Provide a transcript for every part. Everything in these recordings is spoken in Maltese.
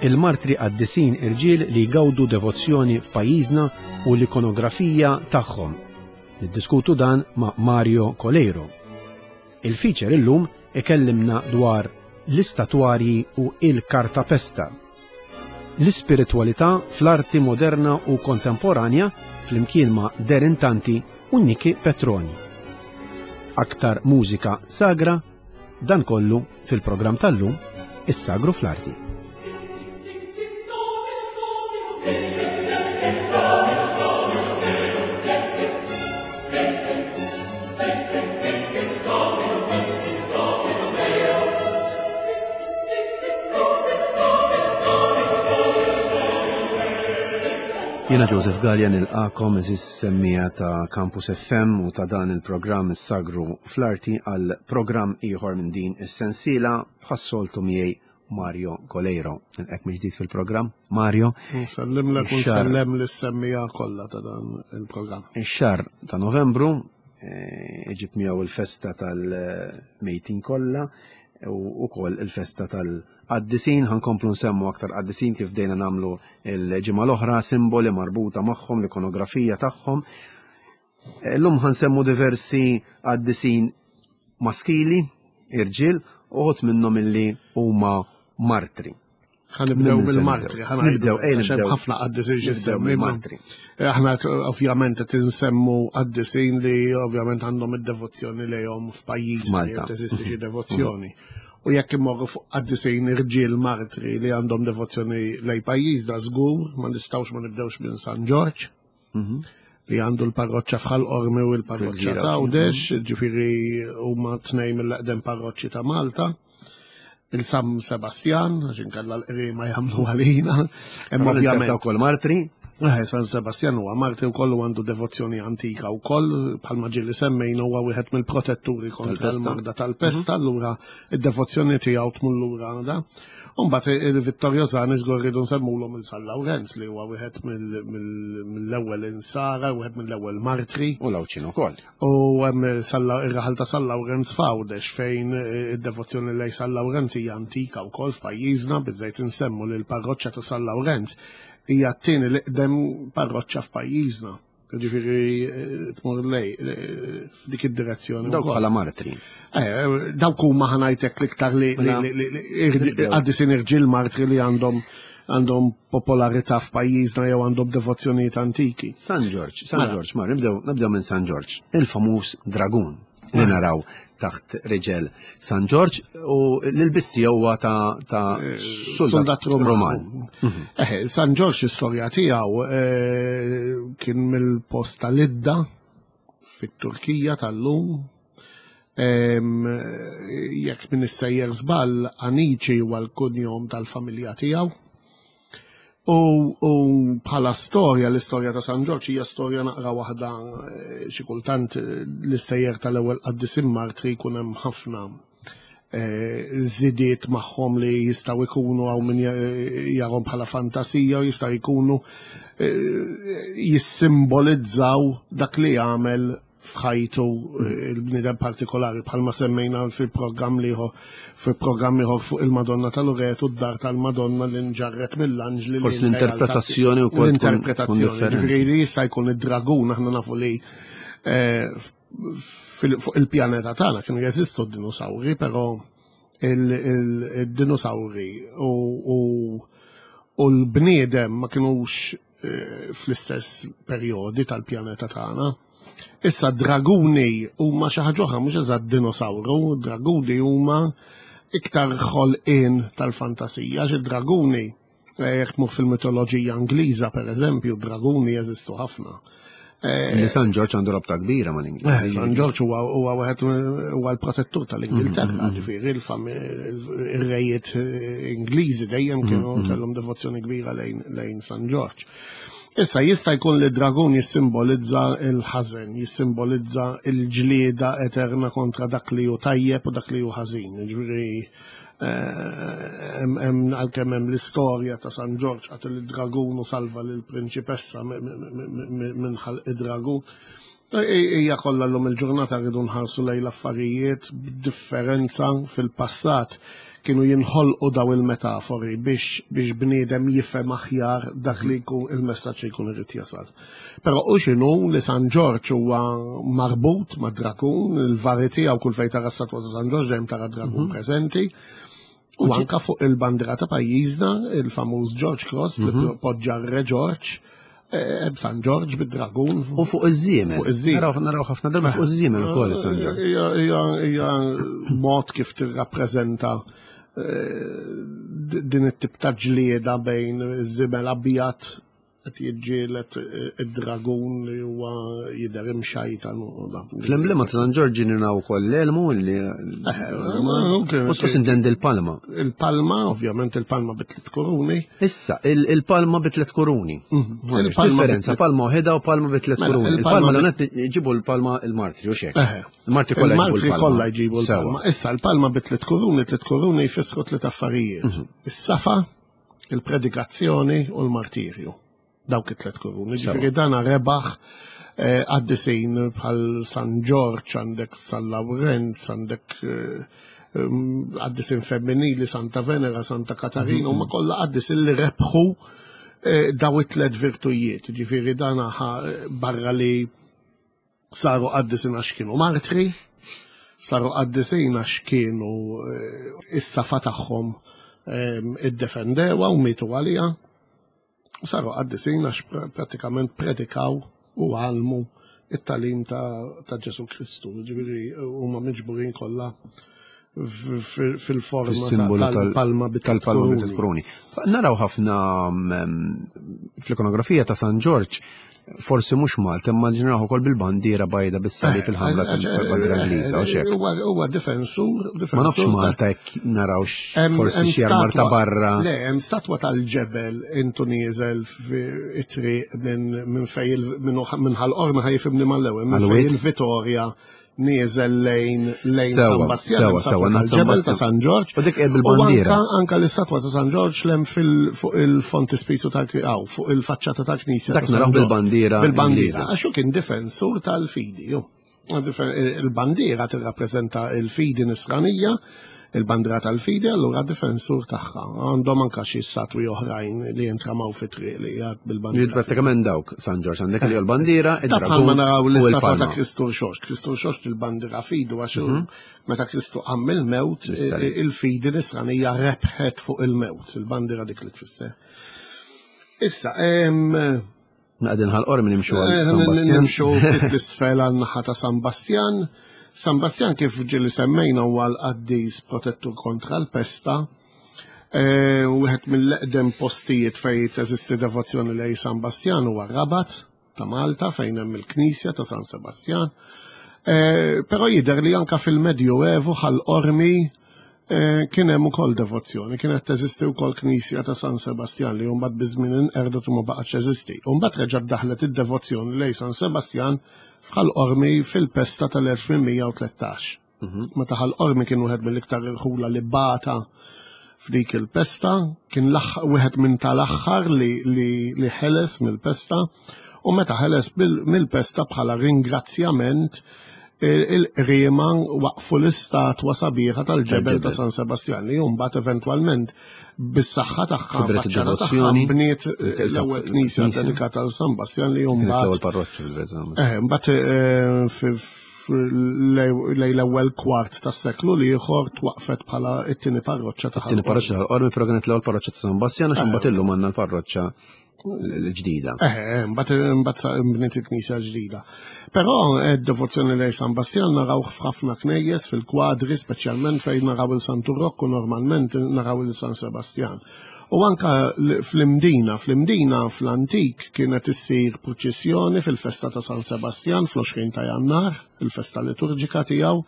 Il-martri qaddisin irġiel li jgawdu devozzjoni f'pajjiżna u l-ikonografija tagħhom. Niddiskutu dan ma' Mario Coleiro. Il-feature illum ikellimna dwar l-istatwarji u il-kartapesta. L-ispiritwalità fl-arti moderna u kontemporanja flimkien ma' Derin Tanti u Niki Petroni. Aktar mużika sagra, dan kollu fil-programm tal-lum, Is-Sagru fl-Arti. Jena Joseph Gallia nilqakom eżis semmija ta' Campus FM u ta' dan il-programm is-Sagru fl-Arti għal programm ieħor minn din is-sensiela bħas-soltu miegħi Mario Coleiro. Nilqek mill-ġdid fil-programm. Mario. Nsellimlek u nsellem lis-semmija kollha ta' dan il-programm. Ix-xahar ta' Novembru eh, iġib miegħu il-festa tal-mejtin kollha u wkoll il-festa tal-qaddisin, ħankomplu nsemmu aktar qaddisin kif bdejna nagħmlu l-ġimgħa l-oħra, simboli marbuta magħhom, l-ikonografija tagħhom. Illum ħansemmu diversi qaddisin maskili, irġiel, uħud minnhom illi huma martri. Ħanibdew bil-martri, ħanibdew, ej nibdew. Ħafna qaddisin xi martri. Eh, aħna ovvjament qed insemmu qaddisin li ovvjament għandhom id-devozzjoni lejhom f'pajjiż Malta. Teżisti xi devozzjoni. U jekk immorru fuq qaddisin irġiel martri li għandhom devozzjoni lej pajjiż da żgur ma nistgħux ma nibdewx minn San Ġorġ. Mhm. Li għandu l-parroċċa f'Ħal Qormi u l-parroċċa ta' Għawdex, mhm. ġifieri huma tnejn mill-eqdem parroċċi ta' Malta. Il-Sam Sebastian, għax inkella l-qrima jagħmlu għalina. Hemm ovvjament ukoll martri. Eh, San Sebastian huwa martri wkoll u għandu devozzjoni antika wkoll, bħalma ġieli semmejna huwa wieħed mill-protetturi kontra l-marda tal-pesta, mhm. allura id-devozzjoni tiegħu tmur lura għandha. Umbagħad il-Vittorjosani żgur rridu nsemmulhom il San Lawrenz li huwa wieħed mill-ewwel insara, wieħed mill-ewwel martri. U l-Għawdxin ukoll. U hemm ir-raħal ta' San Lawrenz f'Għawdex fejn id-devozzjoni lejn San Lawrenz hija antika wkoll f'pajjiżna, biżżejjed insemmu li l-parroċċa ta' San Lawrenz hija t-tieni l-iqdem parroċċa f'pajjiżna. Ġifieri eh, tmur lej eh, f'dik id-direzzjoni. Dawk bħala martri. Eh, dawk huma ħanajtek l-iktar li mela, għaddisin irġiel martri li għandhom għandhom popolarità f'pajjiżna jew għandhom devozzjonijiet antiki. San Ġorġ, San mela. Ġorġ, mar, nibdew minn San Ġorġ, il-famuż dragun. li naraw taħt riġel San Ġorġ u l-ilbis tiegħu huwa ta', ta eh, soldat Roman. Mhm. Eh, San Ġorġ istorja tiegħu eh, kien mill-post tal-Idda fit-Turkija tal-lum. Jekk minn issejjer żball, Anici huwa l-kunjom tal-familja tiegħu. U, u bħala storja, l-istorja ta' San Ġorġ hija storja naqra waħda eh, xi kultant eh, l-istejjer tal-ewwel qaddisin martri jkun hemm ħafna eh, żidiet magħhom li jistgħu jkunu hawn min jarhom bħala fantasija u jistgħu jkunu jissimbolizzaw dak li jagħmel f'ħajtu eh, il-bniedem partikolari bħalma semmejna fil-programm liħor fil-programm ieħor fuq il-Madonna tal-Uret u d-dar tal-Madonna li nġarret mill-anġli. Forsi l-interpretazzjoni wkoll. L-interpretazzjoni, ġifieri li jista' jkun id-dragun aħna nafu li eh, fuq il-pjaneta tagħna kienu jeżistu d-dinosawri, però il-dinosawri u l-bniedem ma kinux eh, fl-istess perjodi tal-pjaneta tagħna. Issa draguni huma xi ħaġa oħra mhux eżatt dinosawru, draguni huma iktar ħolqien tal-fantasija, xi draguni eh, jekk tmur fil-mitoloġija Ingliża pereżempju, draguni jeżistu ħafna. Eh, li San Ġorġ għandu rabta kbira ma' l-Ingilterra. Eh, San Ġorġ huwa wieħed huwa l-protettur tal-Ingilterra, mm, mm, mm. ġifieri il-rejiet eh, Ingliżi dejjem kienu kellhom devozzjoni kbira lejn San Ġorġ. Issa jista' jkun li dragun jissimbolizza l-ħażen, jissimbolizza l-ġlieda eterna kontra dak li hu tajjeb u dak li hu ħażin. Ġifieri Hemm għalkemm hemm l-istorja ta' San Ġorġ qatel id-dragun u salva lill-prinċipessa minn ħalq id-dragun. Hija kollha llum il-ġurnata rridu nħarsu lejn l-affarijiet b'differenza fil-passat. Kienu jinħolqu daw il-metafori biex biex bniedem jifhem aħjar dak li jkun il-messaġġ li jkun irid jasal. Però u x'inhu li San Ġorġ huwa marbut ma' drakun, il-vari tiegħu kull fejn tara statwa ta' San Ġorġ dejjem tara drakun preżenti. U anka fuq il-bandira ta' pajjiżna, il-famuż George Cross li poġġa r-Re George, San Ġorġ bid-dragun. U fuq iż-żiemel. Fuq iż-żiemel. Naraw naraw ħafna darba fuq iż-żiemel ukoll San Ġorġ. Hija mod kif tirrappreżenta din it-tip ta' ġlieda bejn iż-żiemel abjad qed jiġġieled id-dragun li huwa jidher imxajtan u dan. Fl-emblema ta' San Ġorġ naraw ukoll l-elmu li U sintendi l-palma. Il-palma, ovvjament il-palma bit-tliet kuruni. Issa, il-palma bit-tliet kuruni. Differenza, palma waħedha u palma bit-tliet Mela, kuruni. il-palma Il-palma l-għonet ġibu l-palma il-martri, u xek. Il-martri kollha ġibu Il-martri l-palma. kollha jġibu Sewa. l-palma. Issa l-palma bit-tliet kuruni, tliet kuruni jfissru tliet affarijiet. Is-safa, il-predikazzjoni u l-martirju. Dawk it-tliet kuruni. Ġifieri dana rebaħ qaddisin bħal San Ġorġ, għandek San Lawrenz, għandek qaddisin femminili, Santa Venera, Santa Katarina, huma kollha qaddisin li rebħu daw it-tliet virtujiet. Ġifieri dana barra li saru qaddisin għax kienu martri, saru qaddisin għax kienu is-safa tagħhom iddefendewa u mietu għaliha. Saru qaddisin għax pratikament predikaw u għalmu it-talim ta' Ġesu Kristu. Ġifieri huma miġburin kollha fil-forma Fis-simbolu tal-palma tal-palma bit-tliet bit-tliet kuruni. Naraw ħafna fl-ikonografija ta' San Ġorġ, forsi mhux Malta, imma naraw ukoll bil-bandiera bajda bis-salib il-ħamra tal-bandiera Ingliża u xek. Huwa difensur, Ma nafx difensur Malta jekk narawx forsi Hemm xi armar ta' statwa- barra. Le, hemm statwa tal-ġebel intu nieżel fi it-triq minn fej minn Ħal Qormi ħa jifhimni mal-ewwel, minn fej Għal-Wied? il-Vitorja nieżel lejn Sewa, San Bastjan, sewa, hemm statwa sewa, tal-ġebel San ta' Bastjan. San Ġorġ. U dik U bil-bandiera. anka l-istatwa ta' San Ġorġ lem fuq il-fontispizju tal fuq il-faċċata tal-knisja. Dak ta' San naraw Ġorġ. bil-bandiera Bil-bandiera. Ingliża. Għax hu kien difensur tal-fidi. ju. Il-bandiera tirrappreżenta il-fidi nisranija, il-bandiera tal-fidi, allura difensur tagħha. Għandhom anka xi statwi oħrajn li jintramaw fit-triq li jgħad bil-bandiera. Prattikament dawk San Ġorġ għandek li l-bandiera, Ta' bħalma id-dragun naraw u l-istatwa ta' l-palma. Kristu Rxoxt. Kristu Rxoxt il-bandiera fidu għax meta Kristu qam mill-mewt, Bis-salib. il-fidi nisranija rebħet fuq il-mewt, il-bandiera dik li tfisser. Issa, Naqdin Ħal Qormi nimxu għal San Bastjan. Nimxu ftit l-isfel għal naħa ta' San Bastjan. San Bastjan kif ġieli semmejna huwa l-qaddis protettur kontra l-pesta. Wieħed mill-eqdem postijiet fejn teżisti devozzjoni lej San Bastjan huwa Rabat ta' Malta fejn hemm il-Knisja ta' San Sebastian. Però jidher li anka fil-Medjuevu Ħal Qormi kien hemm ukoll devozzjoni, kienet teżisti wkoll knisja ta' San Sebastian li mbagħad biż-żmien inqerdet u ma baqgħetx teżisti. U mbagħad reġgħet daħlet id-devozzjoni lej San Sebastian f'Ħal Qormi fil-pesta tal-1813. Meta Ħal Qormi kien wieħed mill-iktar irħula li bata f'dik il-pesta, kien wieħed minn tal-aħħar li ħeles mill-pesta, u meta ħeles mill-pesta bħala ringrazzjament il-qriema waqfu l-istatwa sabiħa tal-ġebel ta' Tal-ġebel. San Sebastian li mbagħad eventwalment bis-saħħa tagħha, Kibret faċċata tagħha, id-devozzjoni. bniet l-ewwel knisja Knisja. dedikata għal San Bastian li Kienet mbagħad l-ewwel parroċċa fil-verità. Mbagħad lejn l-ewwel kwart tas-seklu l-ieħor twaqfet bħala t-tieni parroċċa ta' Tieni Ħal parroċċa Ħal Qormi, però kienet l-ewwel parroċċa ta' San Bastian għax imbagħad illum għandna l-parroċċa l-ġdida. Mbagħad bniet il-knisja ġdida. Però d-devozzjoni lejn San Bastian naraw f'ħafna knejjes fil-kwadri, speċjalment fejn naraw il-Santu Rokku, normalment naraw il-San Sebastian. U anka fl-Imdina fl-antik kienet issir purċissjoni fil-festa ta' San Sebastian fl-20 ta' Jannar, il-festa liturġika tiegħu,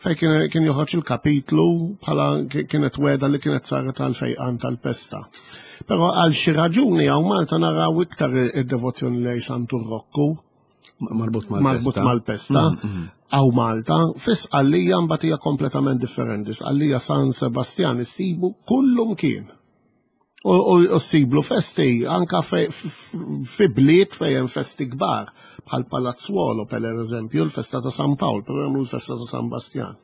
fejn kien joħroġ il-kapitlu bħala kienet weda li kienet saret għal fejqan tal-pesta. Però għal xi raġuni hawn Malta naraw iktar id-devozzjoni lejn Santu Rokku. Marbut mal-pesta. Marbut mal-pesta. Hawn Malta, fi Sqallija mbagħad hija kompletament differenti. Sqallija San Sebastian issibu kullum kien. U ssiblu festi anka fi bliet fejn hemm festi kbar, bħal Palazzuolo per eżempju, l-festa ta' San Pawl, però hemm l-festa ta' San Bastian.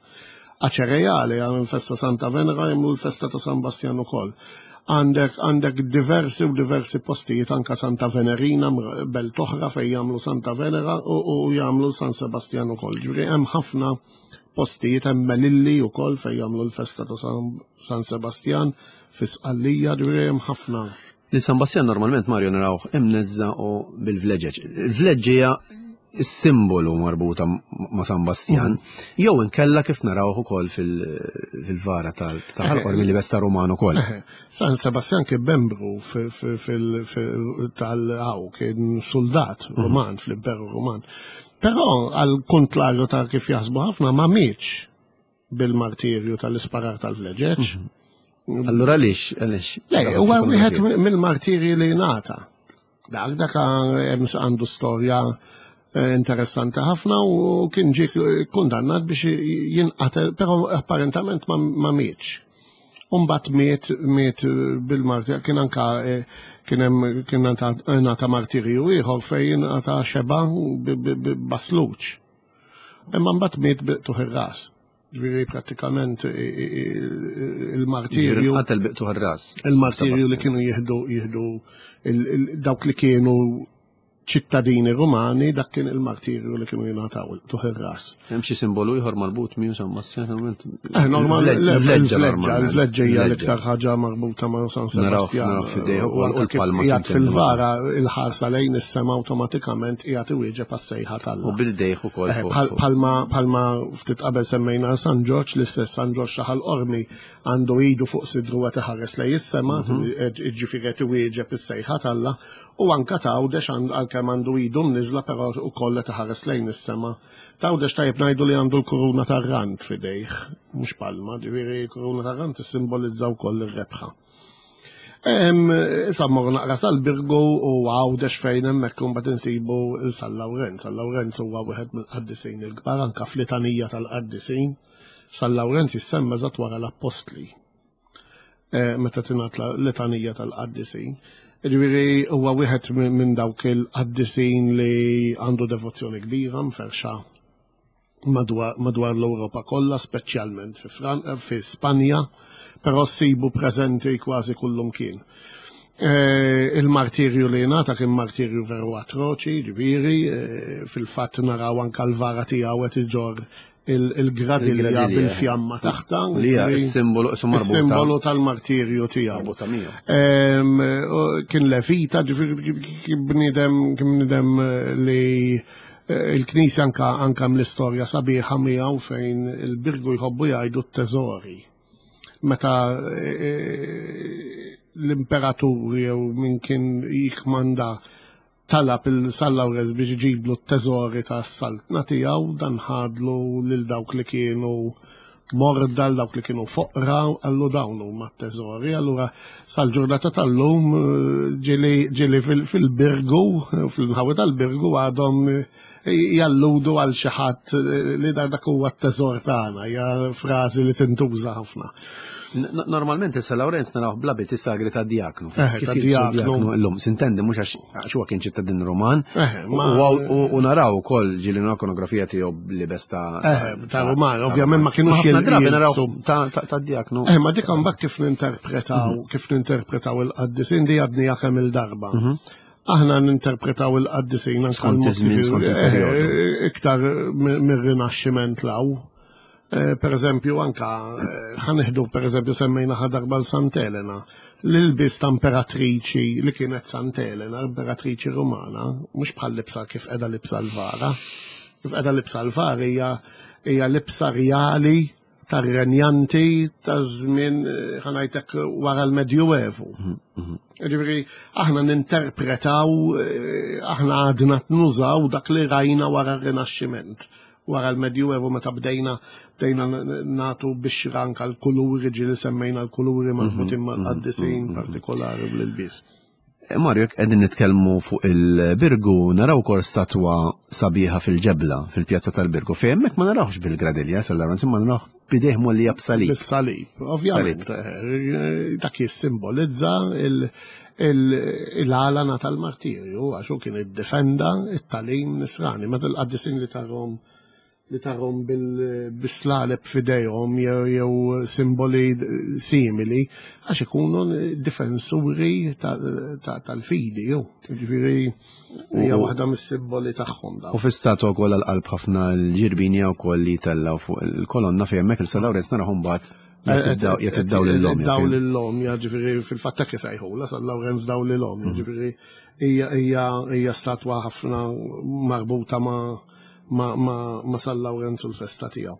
Aċereale għal festa Santa Venera jagħmlu l-festa ta' San Bastjan ukoll. Għandek għandek diversi u diversi postijiet anka Santa Venerina belt oħra fejn jagħmlu Santa Venera u, u jagħmlu San Sebastian ukoll. Ġifieri hemm ħafna postijiet hemm Melilli ukoll fejn jagħmlu l-festa ta' San, San Sebastian fi Sqallija, ġifieri hemm ħafna. Lil San Bastian normalment Mario narawh imneżża u bil-vleġeġ. Il-vleġġija simbolu marbuta ma' San Bastian, mm. jew inkella kif narawh ukoll fil-vara tal-ħalqor mill besta Ruman ukoll. San Sebastian kien membru tal-għaw, kien soldat mm. Ruman fl-Imperu Ruman. Però għal kontlarju ta' kif jaħsbu ħafna ma mietx bil-martirju tal-isparar tal-vleġeġ. Mhm. Allura għaliex? Għaliex? Le, huwa wieħed mill-martirji li ngħata. Dak dak għandu storja eh, interessanti ħafna u kien ġie kundannat biex jinqatel, però apparentament ma mietx. Umbat miet miet bil-martirju, kien anka eh, kien hemm kien ngħata martirju ieħor fejn ngħata xeba basluċ. Imma mbagħad miet biqtuħ ir-ras. Ġifieri prattikament il-martirju. Qatel biqtuħ ir-ras. Il-martirju li kienu jieħdu jieħdu dawk li kienu ċittadini Rumani dak kien il-martirju li kienu jingħataw tuħ ir-ras. Hemm xi simbolu ieħor marbut miegħu San Bastian Eh, normal, il-vleġġa, il-vleġġa hija l-iktar ħaġa marbuta ma' San Sebastian. Naraw fidejh u l-palma. Qiegħed fil-vara il-ħarsa lejn is-sema awtomatikament qiegħed iwieġeb għas-sejħa tal. U bil-dejh ukoll. Eh, palma palma ftit qabel semmejna San Ġorġ, l-istess San Ġorġ ta' Ħal Qormi għandu idu fuq sidru qed iħares lejn is-sema, mhm. eh, ġifieri qed iwieġeb is-sejħa t'Alla, u anka t'Għawdex għalkemm għandu idu mniżla però ukoll qed iħares lejn is-sema. T'Għawdex tajjeb ngħidu li għandu l-kuruna tar-rand f'idejh, mhux palma, ġifieri kuruna tar-rand tissimbolizza wkoll ir-rebħa. Issa mmorru naqra sal-Birgu u Għawdex fejn hemmhekk imbagħad insibu San Lawrenz. San Lawrenz huwa wieħed mill-qaddisin il-kbar anke fl-itanija tal-qaddisin. San Lawrenz jissemma eżatt wara l-appostli. Eh, meta tingħat l-litanija tal-qaddisin. Ġifieri huwa wieħed minn dawk il-qaddisin li għandu devozzjoni kbira mferxa madwar l-Ewropa kollha, speċjalment fi Spanja, però ssibu preżenti kważi kullum kien. Eh, il-martirju li ngħata kien martirju veru atroċi, ġifieri, eh, fil-fatt naraw anka l-vara tiegħu qed iġorr il-gradilja bil-fjamma taħta. Li hija s-simbolu simbolu tal-martirju tiegħu. Kien levita, ġifieri kien bniedem kien bniedem eh, li eh, il-Knisja anka anka mill-istorja sabiħa miegħu fejn il-Birgu jħobbu jgħidu t-teżori. Meta eh, l-imperatur jew min kien jikmanda Talab 'il San Lawrenz biex iġiblu t-teżori tas-saltna tiegħu, dan ħadlu lil dawk li kienu morda, lil dawk li kienu foqra, qallu dawn huma t-teżori. Allura sal-ġurnata tal-lum ġieli fil-Birgu, fl-inħawi tal-Birgu għadhom jalludu għal xi ħadd li dak huwa t-teżor tagħna, hija frażi li tintuża ħafna. Normalment issa Lawrenz narawh bl-abiti sagri ta' diaknu. Eh, ta' diaknu. Illum, sintendi mhux għax huwa kien ċittadin Ruman. Eh, u naraw ukoll ġieli ikonografija tiegħu libes ta' eh, ta' Ruman, ovvjament ma kienux drabi naraw ta' diaknu. Eh, ma dik mbagħad kif ninterpretaw, mhm. kif ninterpretaw il-qaddisin di għadni kemm il-darba. Mhm. Aħna ninterpretaw il-qaddisin anke l-perjodu. Iktar mir-rinaxximent law. Eh, per eżempju, anka eh, ħaneħdu per eżempju semmejna ħadarba l-Sant Elena, l-ilbis ta' imperatriċi li kienet Sant Elena, imperatriċi Rumana, mhux bħal libsa kif qiegħda libsa l-vara. Kif qiegħda libsa l-vara hija hija libsa rjali tar-renjanti ta' żmien eh, ħanajtek wara l-Medjuevu. Mhm, mhm. Ġifieri aħna ninterpretaw, aħna għadna nużaw dak li rajna wara r-Rinaxximent wara l-Medjuevu meta bdejna bdejna nagħtu bixra anka l-kuluri ġieli semmejna l-kuluri mhm, marbutin mhm, mal-qaddisin mhm, partikolari bl-ilbies. Eh, Mario, jekk qegħdin nitkellmu fuq il-Birgu, naraw ukoll statwa sabiħa fil-ġebla fil-pjazza tal-Birgu, fejn hemmhekk ma narawx bil-gradilja, sal ma narawx bidejh mollija b'salib. Bis-salib, ovvjament. Eh, dak jissimbolizza il-għalana tal-martirju, għax hu kien iddefenda it-talim nisrani, meta l-qaddisin li tarhom li tarhom bil-slaleb f'idejhom jew simboli simili għax ikunu difensuri tal-fidi jew ġifieri hija waħda mis-simboli tagħhom dawn. U fi statwa wkoll għall-qalb ħafna l-ġirbini wkoll li jtellgħu fuq il-kolonna fejn hemmhekk il-San Lawrenz narahom mbagħad jagħti dawl lil-lom. Dawl lil-lom, ġifieri fil-fatt hekk isejħulha San Lawrenz dawl lil-lom, ġifieri hija statwa ħafna marbuta ma' ma', ma, ma San Lawrenz u l-festa tiegħu.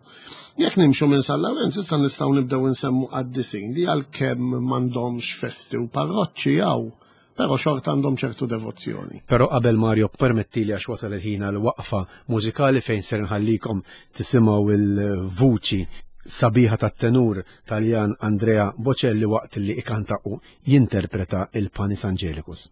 Jekk nimxu minn San Lawrenz issa nistgħu nibdew insemmu qaddisin li għalkemm m'għandhomx festi u parroċċi hawn, però xorta għandhom ċertu devozzjoni. Però qabel Mario permettili għax wasal il-ħin għal waqfa mużikali fejn ser nħallikom tisimgħu il-vuċi sabiħa tat-tenur Taljan Andrea Bocelli waqt li ikanta u jinterpreta il-Panis Angelicus.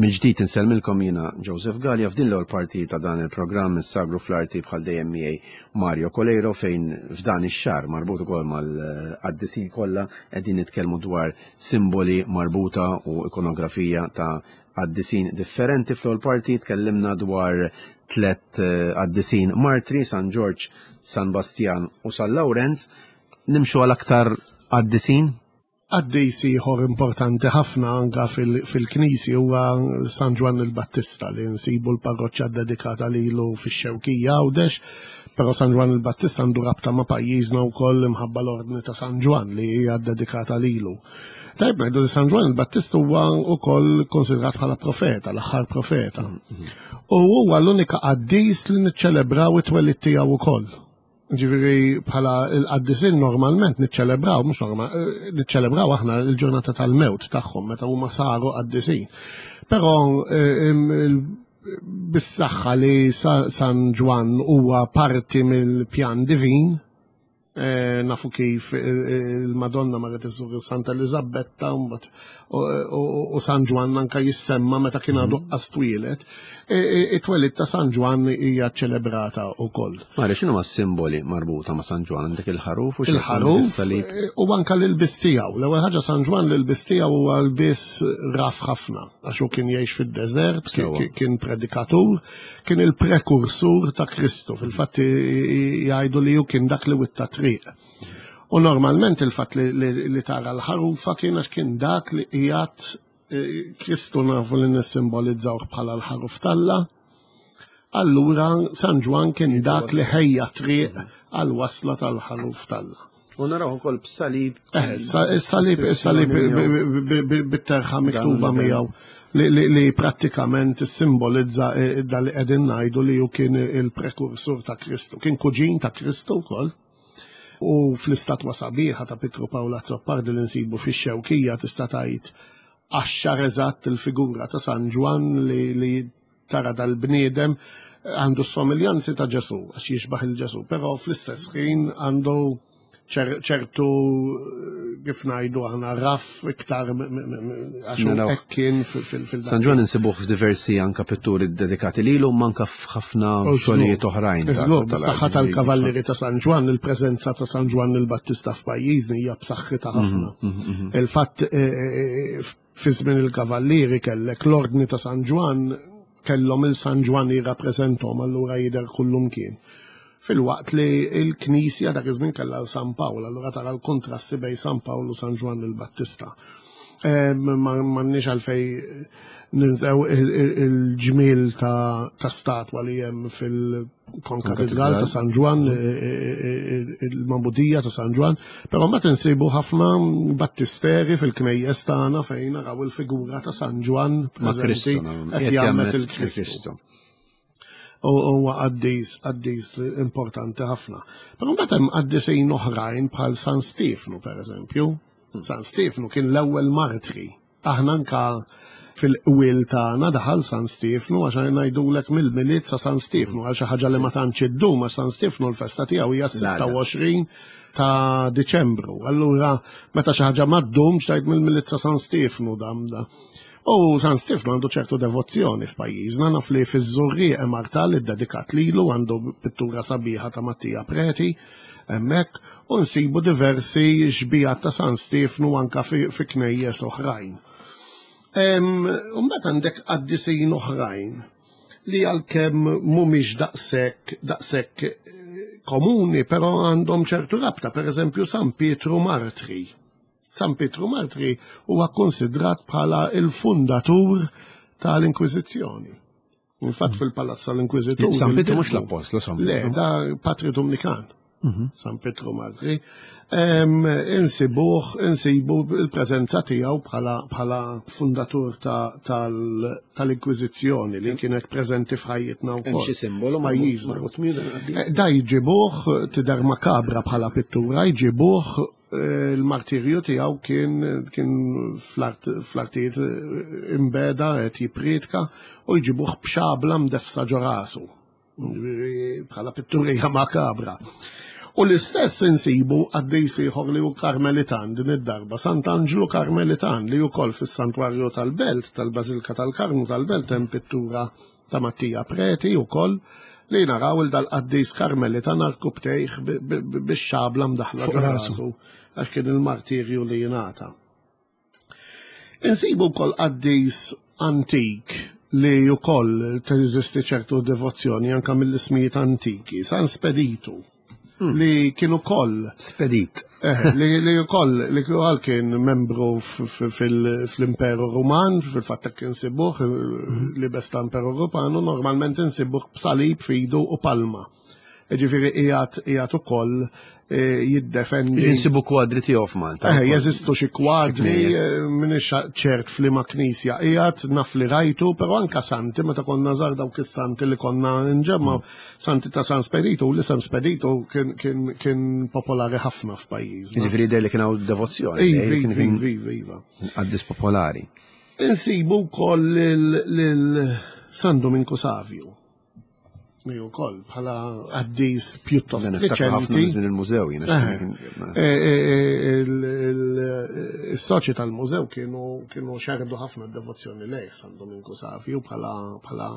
Mill-ġdid insellmilkom jiena Joseph Gallia f'din l-ewwel parti ta' dan il-programm is-Sagru fl-Arti bħal dejjem miegħi Mario Coleiro fejn f'dan ix-xahar marbut ukoll mal-qaddisin kollha qegħdin nitkellmu dwar simboli marbuta u ikonografija ta' qaddisin differenti. Fl-ewwel parti tkellimna dwar tlett eh, qaddisin martri, San Ġorġ, San Bastjan u San Lawrenz. Nimxu għal aktar qaddisin? Qaddis ieħor importanti ħafna anka fil-Knisja huwa San Ġwann il-Battista li nsibu l-parroċċa dedikata lilu fix-Xewkija Għawdex, però San Ġwann il-Battista għandu rabta ma' pajjiżna wkoll imħabba l-Ordni ta' San Ġwann li hija dedikata lilu. Tajb ngħidu li San Ġwann il-Battista huwa wkoll konsidrat bħala profeta, l-aħħar profeta. U huwa l-unika qaddis li niċċelebraw it-twelid tiegħu wkoll. Ġifieri bħala l-qaddisin normalment niċċelebraw, mhux normal, eh, niċċelebraw aħna l-ġurnata tal-mewt tagħhom meta huma saru qaddisin. Però eh, bis-saħħa li San Ġwann huwa parti mill-pjan divin, eh, nafu kif il-Madonna marret iżżur Santa Elizabetta u San Ġwann anka jissemma meta kien għadu mhm. qas twieled, e, e, it-twelid ta' San Ġwann hija ċelebrata wkoll. Mara x'inhu ma' simboli marbuta ma' San Ġwann għandek il-ħaruf u il-ħaruf e, u anka l-ilbis tiegħu. L-ewwel ħaġa San Ġwann l-ilbis tiegħu huwa lbies raf ħafna għax hu kien jgħix fid-deżert, kien predikatur, kien il-prekursur ta' Kristu. Fil-fatt jgħidu li hu kien dak li witta triq. U normalment il-fatt li tara l-ħarufa kien għax kien dak li qiegħed eh, Kristu nafu li nissimbolizzaw bħala l-ħaruf talla. Allura San Ġwan kien dak li ħejja triq għal wasla tal-ħaruf talla. U naraw ukoll b'salib. Eh, salib, salib bit-terħa miktuba miegħu li prattikament simbolizza eh, dal li qegħdin ngħidu li hu kien il-prekursur ta' Kristu. Kien kuġin ta' Kristu wkoll. U fl-istatwa sabiħa ta' Pietru Pawl Azzopardi li nsibu fix-Xewkija tista' tgħid għaxxar eżatt il-figura ta' San Ġwann li, li tara dal-bniedem għandu s-somiljanzi ta' Ġesu, għax jixbaħ il-Ġesu, però fl-istess ħin għandu ċertu kif ngħidu aħna raff iktar għax hekk kien fil San Ġwann insibuh f'diversi anka pitturi dedikati lilu manka f'ħafna xogħlijiet oħrajn. Żgur, bis-saħħa tal-Kavallieri ta' San Ġwann, il-preżenza ta' San Ġwann il-Battista f'pajjiżni hija b'saħħitha mhm, ħafna. Mhm, mhm. Il-fatt e, e, e, fi żmien il-Kavallieri kellek l-Ordni ta' San Ġwann kellhom il-San Ġwann jirrappreżenthom allura jidher kullum kien. Filwaqt li l-Knisja dak iż-żmien kellha l San Pawl, allura tara l-kontrasti bejn San Pawl u San Ġwann il-Battista. M'għandniex għalfej ninsew il-ġmiel ta' statwa li hemm fil-Konkatedral ta' San Ġwann, il-Mambudija ta' San Ġwann, però mbagħad insibu ħafna battisteri fil-knejjes tagħna fejn naraw il-figura ta' San Ġwann preżenti qed jagħmel il-Kristu. U huwa qaddis, qaddis importanti ħafna. Però mbagħad hemm qaddisin oħrajn bħal San Stiefnu pereżempju. San Stiefnu kien l-ewwel martri. Aħna anka fil-qwiel tagħna daħal San Stiefnu għax ngħidulek mill-Milied sa San Stiefnu għal xi ħaġa li ma tantx iddum għax San Stiefnu l-festa tiegħu hija 26 ta' Diċembru. Allura meta xi ħaġa ma ddumx tgħid mill-Milied sa San Stiefnu dam da. U San Stiefnu għandu ċertu devozzjoni f'pajjiżna, naf li fiż-Żurrieq hemm artal iddedikat lilu, għandu pittura sabiħa ta' Mattia Preti hemmhekk, u nsibu diversi xbijat ta' San Stiefnu anka fi knejjes oħrajn. U mbagħad għandek qaddisin oħrajn li għalkemm mhumiex daqshekk daqshekk eh, komuni, però għandhom ċertu rabta, pereżempju San Pietru Martri. San Pietru Martri huwa kkonsidrat bħala il-fundatur tal-Inkwiżizzjoni. Infatti fil-Palazz tal-Inkwiżitur. San Pietru mhux l-Appostlu San Pietru. Le, da Patri Dominikan. Mhm. San Pietru Martri. Insibuh, insibu il-preżenza tiegħu bħala fundatur tal-Inkwiżizzjoni li kienet preżenti f'ħajjitna wkoll. Hemm xi simbolu pajjiżna. Eh, da jġibuh tidher makabra bħala pittura, jġibuh Il-martirju tiegħu kien kien fl-artijiet imbeda qed jippriedka u jġibuh b'xabla mdeffsa ġo rasu. Bħala pitturija makabra. U l-istess insibu qaddis ieħor li hu Karmelitan din id-darba, Sant'Anġlu Karmelitan li wkoll fis-Santwarju tal-Belt, tal-Bażilka tal-Karmnu tal-Belt hemm pittura ta' Mattia Preti wkoll li naraw il dal-qaddis Karmelitan arkubtejh bix-xabla mdaħla fuq rasu għax kien il-martirju li jingħata. Insibu wkoll qaddis antik li wkoll teżisti ċertu devozzjoni anka mill-ismijiet antiki, San Speditu, li kien ukoll Spedit. Eh, li li wkoll li wkoll kien membru fl-Imperu Ruman, fil-fatt hekk insibuh li bes l-Imperu Ruman u normalment insibuh b'salib f'idu u palma. Ġifieri qiegħed qiegħed ukoll eh, jiddefendi. Insibu kwadri tiegħu f'Malta. Eh, jeżistu xi kwadri, eh, m'iniex ċert f'liema knisja qiegħed, naf li rajtu, però anka santi meta konna żgħar dawk is-santi li konna nġemma, santi ta' San Speditu, l-isem Speditu kien, kien, kien popolari ħafna f'pajjiżna. Ġifieri jidher li kien hawn devozzjoni. Iva, iva, iva, iva. Qaddis popolari. Insibu wkoll lil San Dominku Savju li wkoll bħala qaddis pjuttost riċenti. Minn il-mużew jiena. Eh, eh, eh, is-soċi tal-mużew kienu kienu xerdu ħafna devozzjoni lejh San Dominku Savju bħala bħala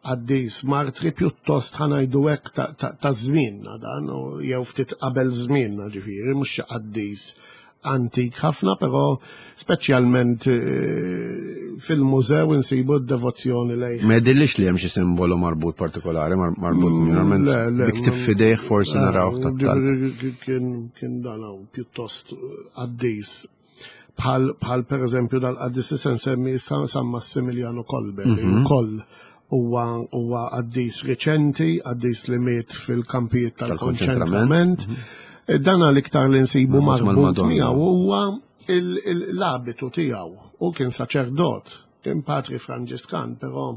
qaddis martri pjuttost ħanajdu hekk ta' żmienna dan jew ftit qabel żmienna ġifieri mhux xi qaddis antik ħafna, però speċjalment eh, fil-mużew insibu d-devozzjoni lejh. Ma jidhirlix li hemm xi simbolu marbut partikolari, marbut mm, normalment dik fidejh forsi eh, naraw tat-talb. Kien dan hawn pjuttost qaddis bħal bħal per eżempju dal-qaddis se nsemmi San Massimiliano Kolbe, li mhm. wkoll huwa huwa qaddis riċenti, qaddis li miet fil-kampijiet tal-konċentrament. Mhm. E, dan l-iktar li nsibu marbut miegħu huwa l-abitu tiegħu. U kien saċerdot, kien patri Franġiskan, però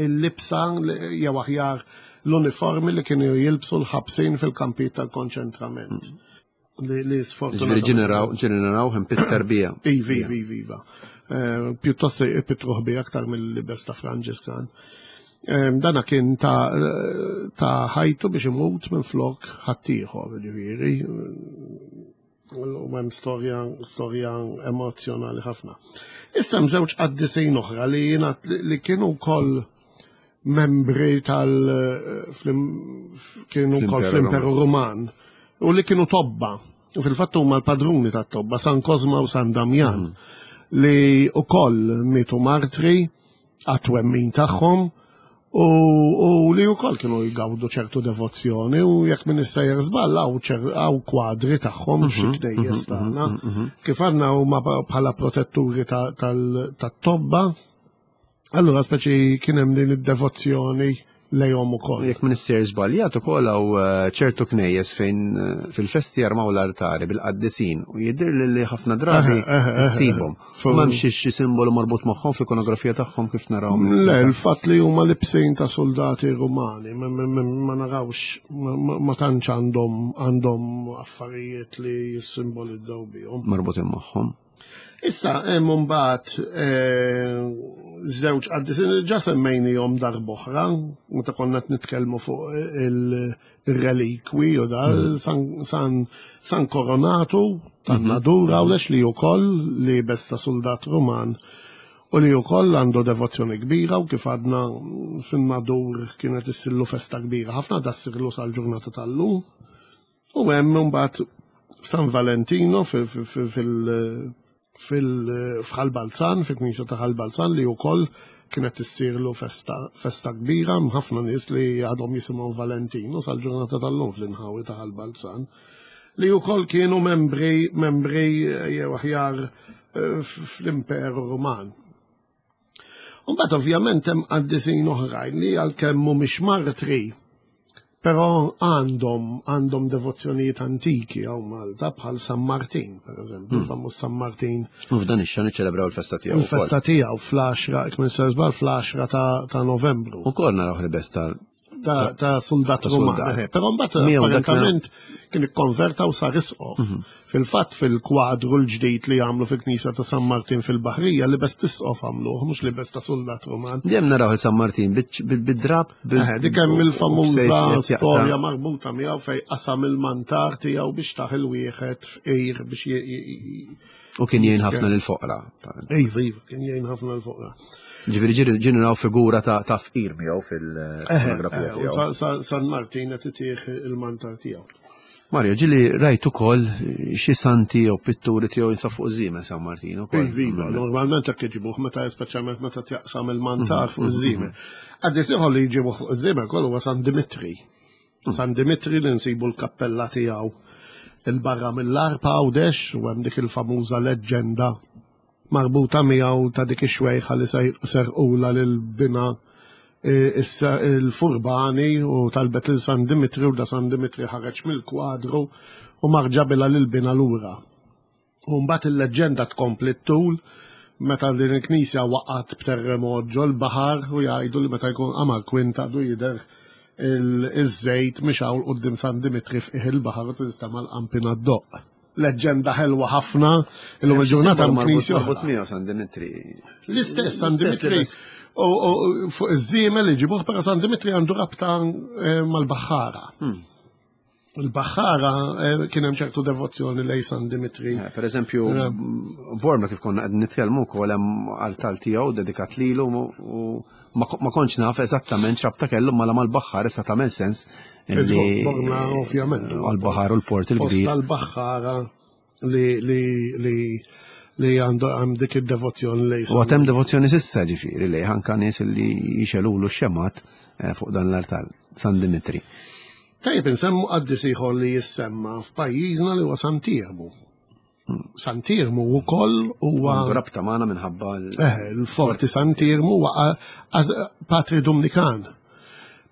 il-libsa jew aħjar l-uniformi li kienu jilbsu l-ħabsin fil-kampijiet tal-konċentrament. Mhm. Li sfortunatament. Ġifieri ġeneraw hemm pitter bija. Ivi, ivi, ivi, iva. Eh, pjuttost ipitruħ bija aktar mill-libes ta' Franġiskan. Eh, dana kien ta' ta' ħajtu biex imut minn flok ħaddieħor, ġifieri. U hemm storja storja emozjonali ħafna. Issa hemm żewġ qaddisin oħra li li kienu wkoll membri tal kienu wkoll fl-Imperu Ruman u li kienu tobba. U fil-fatt huma l-padruni tat-tobba San Kozma u San Damjan mm. li wkoll mietu martri għat-twemmin tagħhom u, u li wkoll kienu jgawdu ċertu devozzjoni u jekk minn issejjer żball hawn kwadri tagħhom mhm, xi knejjes mhm, tagħna. Mhm, Kif għandna huma bħala protetturi tat-tobba Allura speċi kien hemm din id-devozzjoni lejhom ukoll. Jekk minn issir żbaljat ukoll hawn eh, ċertu knejjes fejn eh, fil-festi jarmaw l-artari bil-qaddisin u jidher li li ħafna drabi ssibhom. M'hemmx xi simbolu marbut magħhom fl-ikonografija tagħhom kif naraw. Le, il-fatt li huma libsin ta' soldati Rumani, ma narawx ma tantx għandhom għandhom affarijiet li jissimbolizzaw bihom. Marbutin magħhom. Issa hemm imbagħad eh, żewġ qaddisin ġa semmejnihom darb'oħra meta konna qed nitkellmu fuq il-relikwi u da hmm. San, San Coronatu tan-Nadur mhm. għawdex li wkoll li besta soldat Ruman u li wkoll għandu devozzjoni kbira u kif għadna fin-Nadur kienet issillu festa kbira ħafna da ssirlu sal-ġurnata tal-lum. U hemm imbagħad San Valentino fil-Ħal Balzan, fil-Knisja ta' Ħal Balzan li wkoll kienet issirlu festa, festa kbira ħafna nies li għadhom jisimgħu Valentino sal-ġurnata tal-lum fl-inħawi ta' Ħal Balzan li wkoll kienu membri membri jew aħjar eh, fl-Imperu Ruman. Mbagħad ovvjament hemm qaddisin oħrajn li għalkemm mhumiex martri, però għandhom għandhom devozzjonijiet antiki hawn Malta bħal San Martin, pereżempju, hmm. famuż San Martin. U f'dan ix-xahar niċċelebraw il-festa tiegħu. Il-festa tiegħu fl-10, kmin se żball fl-10 ta' Novembru. Ukoll naraw ħribes tal ta' soldat Ruman. Però mbagħad apparentament kien ikkonverta u sar isqof. Mhm. Fil-fatt fil-kwadru l-ġdid li għamlu fil-Knisja ta' San Martin fil-Baħrija li bes tisqof għamluh, mhux li bes ta' soldat Ruman. Dejjem naraw San Martin bid-drab. Dik hemm il-famuża storja marbuta miegħu fej qasam il-mantar tiegħu biex taħ il-wieħed fqir biex U kien jgħin ħafna lil foqra. Iva, iva, kien jgħin ħafna lil foqra. Ġifieri ġiri ġiri naraw figura ta' fqir miegħu fil-fotografija tiegħu. San Martin qed itih il-mantar tiegħu. Mario, ġili rajt ukoll xi santi jew pitturi tiegħu jinsab fuq żiemel San Martin ukoll. Iva, normalment hekk iġibuh meta speċjalment meta tjaqsam il-mantar fuq iż-żiemel. Għaddis ieħor li jġibuh fuq iż-żiemel kollu huwa San Dimitri. San Dimitri li nsibu l-kappella tiegħu il-barra mill-Għarb Għawdex u hemm dik il-famuża leġġenda marbuta miegħu ta' dik ix-xwejħa li serqula lil bina e, il-furbani u talbet lil San Dimitri u da San Dimitri ħareġ mill-kwadru u marġabilha lil bina lura. U mbagħad il-leġġenda tkompli t-tul meta din il-knisja waqgħet b'terremot ġol-baħar u jgħidu li meta jkun qamar kwint għadu jidher iż-żejt mixgħul quddiem San Dimitri f'qiegħ il-baħar u tinstema' l-qampina ddoqq. Leġġenda ħelwa ħafna, illum il-ġurnata hemm knisja oħra. miegħu San Dimitri. L-istess San Dimitri u fuq iż-żiemel li ġibuh, però San Dimitri għandu rabta eh, mal-baħħara. Il-Baħħara eh, kien hemm ċertu devozzjoni lej San Dimitri. Eh, per eżempju, eh. Bormla kif konna qed nitkellmu wkoll hemm artal tiegħu dedikat lilu u ma kontx naf eżattament x'rabta kellu mala mal-baħħar issa tagħmel sens. Bormla ovvjament. Għal-baħar u l-port il-kbir. Tal-baħħara li li li li għandu għam dik id-devozzjoni lej. U għatem devozzjoni sissa ġifiri li anka nies li jixelulu x-xemat fuq dan l-artal, San Dimitri. Tajjeb insemmu qaddis ieħor li jissemma f'pajjiżna li huwa Sant'Iermu. Sant'Iermu wkoll huwa Għandu rabta magħna minħabba eh, l-forti Sant'Iermu huwa patri Dumnikan.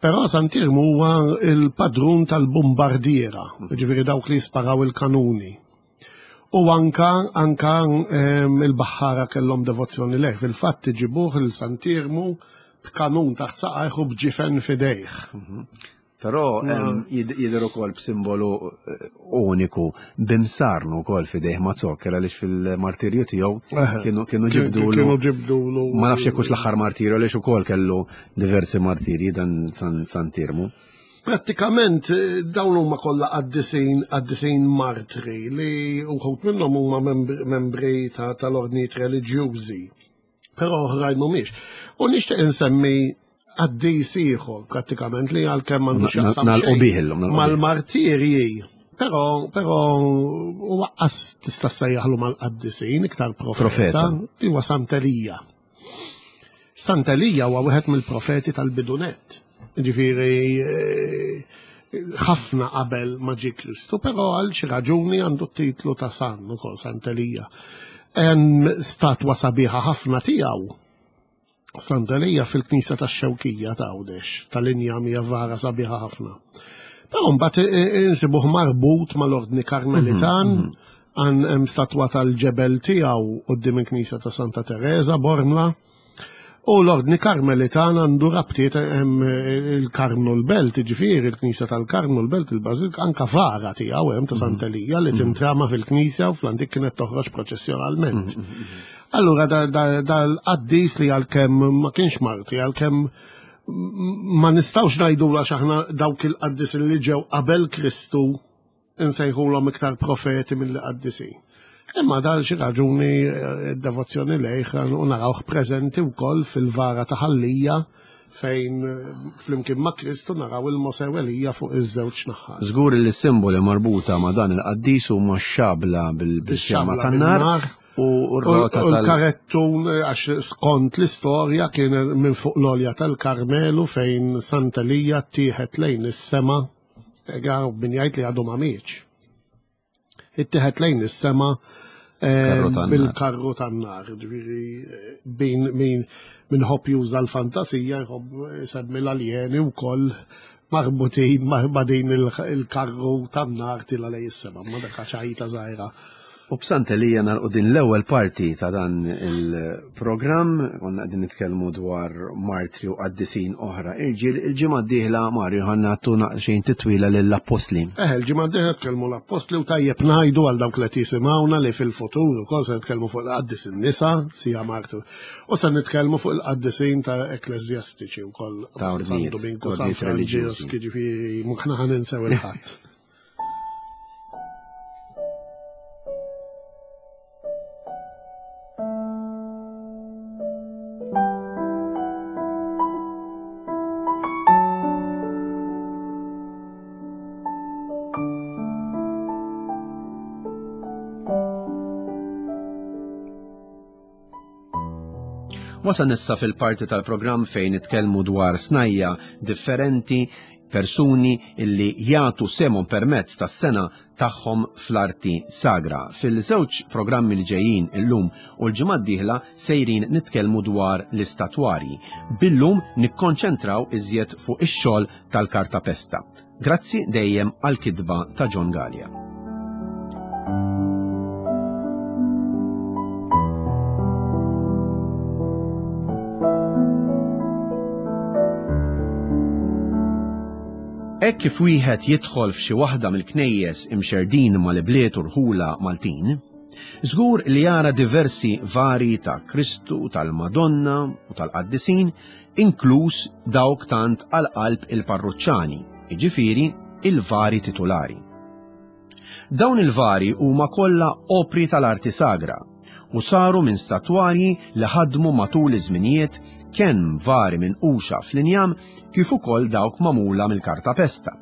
Però Sant'Iermu huwa il-padrun tal-bombardiera, ġifieri dawk li jisparaw il-kanuni. U anka anka ehm, il-baħħara kellhom devozzjoni leh. Fil-fatt iġibuh il-Sant'Iermu b'kanun taħt saqajh u b'ġifen fidejh. Però jidher ukoll b'simbolu eh, uniku b'imsarnu wkoll f'idejh ma' zokker għaliex fil-martirju tiegħu kienu kienu ġibdulu. Kienu ġibdulu. Ma nafx jekk l-aħħar martirju għaliex ukoll kellu diversi martirji dan San Tirmu. Prattikament eh, dawn huma kollha qaddisin qaddisin martri li uħud minnhom huma membri tal-ordnijiet reliġjużi. Però oħrajn mhumiex. U nixtieq insemmi qaddis ieħor prattikament li għalkemm għandu x'jaqsam mal-martirji. Però però waqqas tista' sejjaħlu mal-qaddisin iktar profeta li huwa Sant'Elija. Sant'Elija huwa wieħed mill-profeti tal-bidunet. Ġifieri eh, ħafna qabel ma ġie Kristu, però għal xi raġuni għandu t-titlu ta' San ukoll Sant'Elija. Hemm statwa sabiħa ħafna tiegħu Sant'Elija fil-Knisja tax-Xewkija ta' Għawdex, tal-injam hija vara sabiħa ħafna. Però mbagħad insibuh marbut mal-Ordni Karmelitan, mhm, mhm. għan hemm statwa tal-ġebel tiegħu quddiem il-Knisja ta' Santa Teresa Bormla. U l-Ordni Karmelitan għandu rabtiet hemm il-Karmnu l-Belt, ġifieri il-Knisja tal-Karmnu l-Belt il-Bażilika anka vara tiegħu hemm ta' mhm. Sant'Elija li mhm. tintrama fil-Knisja u fl-antik kienet toħroġ proċessjonalment. Mhm, Allura dal-qaddis li għalkemm ma kienx Marti, għalkemm ma nistgħux ngħidu għax aħna dawk il-qaddisin li ġew qabel Kristu insejħulhom iktar profeti milli qaddisin. Imma dal xi raġuni eh, d-devozzjoni lejh u narawh preżenti wkoll fil-vara ta' Ħallija fejn eh, flimkien ma' Kristu naraw il-Mosè u Elija fuq iż-żewġ naħat. Żgur li s-simboli marbuta ma' dan il-qaddis huma x-xabla bil-xemma tan-nar u r-rota tal karettun eh, għax skont l-istorja kien minn fuq l-olja tal-Karmelu fejn Sant'Elija tieħed lejn is-sema Ega, min jgħid li għadu ma mietx. Ittieħed lejn is-sema eh, bil-karru tan-nar, ġifieri eh, bin min min ħobb juża l-fantasija jħobb isemmi l-aljeni wkoll marbutin ma' din il-karru tan-nar tila lejn is-sema, ma dak ċajta żgħira. U b'Sant'Elija nagħlqu din l-ewwel parti ta' dan il-programm, konna qegħdin nitkellmu dwar martri u qaddisin oħra irġiel. Il-ġimgħa d-dieħla Mario ħa nagħtu naqxejn titwila lill-appostli. Eh, il-ġimgħa d-dieħla nitkellmu l-appostli u tajjeb ngħidu għal dawk li qed jisimgħuna li fil-futur ukoll se nitkellmu fuq il-qaddisin nisa, sija martri. U se nitkellmu fuq il-qaddisin ta' ekkleżjastiċi wkoll. Ta' San Dominku, San Franġisk, jiġifieri mhux ħa ninsew il-ħadd. Wasan issa fil-parti tal-programm fejn nitkellmu dwar snajja differenti, persuni illi jagħtu semhom permezz tas-sena tagħhom fl-arti sagra. Fil-żewġ programmi li ġejjin illum u l-ġimgħa d-dieħla sejrin nitkellmu dwar l-istatwarji. Billum nikkonċentraw iżjed fuq ix-xogħol tal-kartapesta. Grazzi dejjem għall-kitba ta' John Galea. Hekk kif wieħed jidħol f'xi waħda mill-knejjes imxerrdin mal-ibliet u rħula Maltin, żgur li jara diversi vari ta' Kristu, tal-Madonna u tal-qaddisin, inkluż dawk tant għal qalb il-parruċċani, jiġifieri il-vari titulari. Dawn il-vari huma kollha opri tal-arti sagra u saru minn statwarji li ħadmu matul iż-żminijiet kemm vari minquxa fl-injam kif ukoll dawk magħmula mill-kartapesta.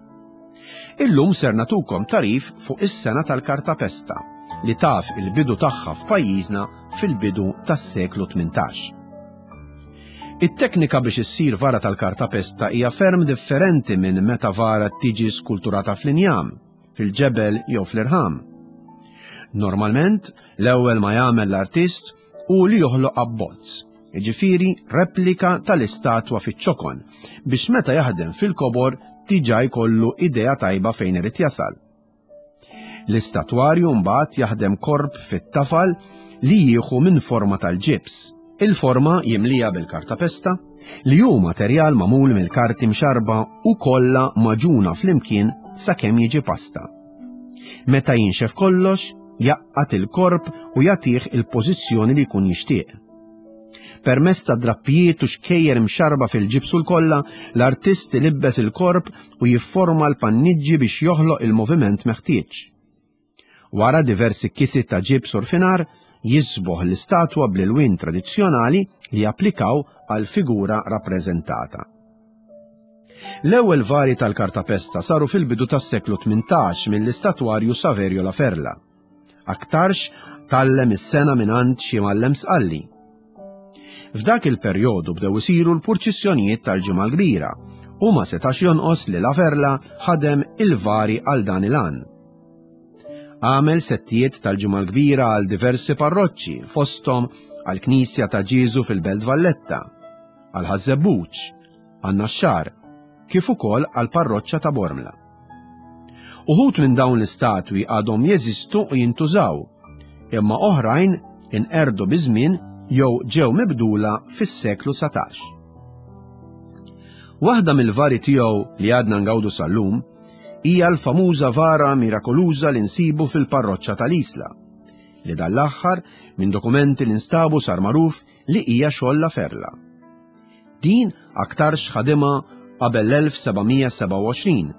Illum ser natukom tarif fuq is-sena tal-kartapesta li taf il-bidu tagħha f'pajjiżna fil-bidu tas-seklu 18. It-teknika biex issir vara tal-kartapesta hija ferm differenti minn meta vara tiġi skulturata fl-injam, fil-ġebel jew fl-irħam. Normalment, l-ewwel ma jagħmel l-artist hu li joħloq abbozz, jiġifieri replika tal-istatwa fiċ-ċokon, biex meta jaħdem fil-kobor diġà jkollu idea tajba fejn irid jasal. L-istatwarju mbagħad jaħdem korp fit-tafal li jieħu minn forma tal-ġibs. Il-forma jimlija bil-kartapesta, li hu materjal magħmul mill-karti mxarrba u kollha magħġuna flimkien sakemm jiġi pasta. Meta jinxef kollox, jgħaqqad il-korp u jagħtih il-pożizzjoni li jkun jixtieq. Permezz ta' drappijiet u xkejjer imxarrba fil-ġibs u l-kolla, l-artist ilibbes il-korp u jifforma l-panniġġi biex joħloq il-moviment meħtieġ. Wara diversi kisi ta' ġibs u rfinar, jiżboħ l-istatwa bl-ilwien tradizzjonali li japplikaw għall-figura rappreżentata. L-ewwel vari tal-kartapesta saru fil-bidu tas-seklu 18 mill-istatwarju Saverio La Ferla. Aktarx tgħallem is-sengħa mingħand xi mgħallem Sqalli. F'dak il-perjodu bdew isiru l-purċissjonijiet tal-Ġimgħa l-Kbira u ma setax jonqos li La Ferla ħadem il-vari għal dan il-għan. Għamel settijiet tal-Ġimgħa l-Kbira għal diversi parroċċi, fosthom għall-Knisja ta' Ġieżu fil-Belt Valletta, għal Ħaż-Żebbuġ, għan-Naxxar, kif ukoll għall-parroċċa ta' Bormla. Uħud minn dawn l-istatwi għadhom jeżistu u jintużaw, imma oħrajn inqerdu biż-żmien jew ġew mibdula fis-seklu 19. Waħda mill-vari tiegħu li għadna ngawdu sal-lum hija l-famuża vara mirakoluża li nsibu fil-parroċċa tal-Isla, li dan l-aħħar minn dokumenti li nstabu sar magħruf li hija xogħol La Ferla. Din aktarx ħadimha qabel l-1727,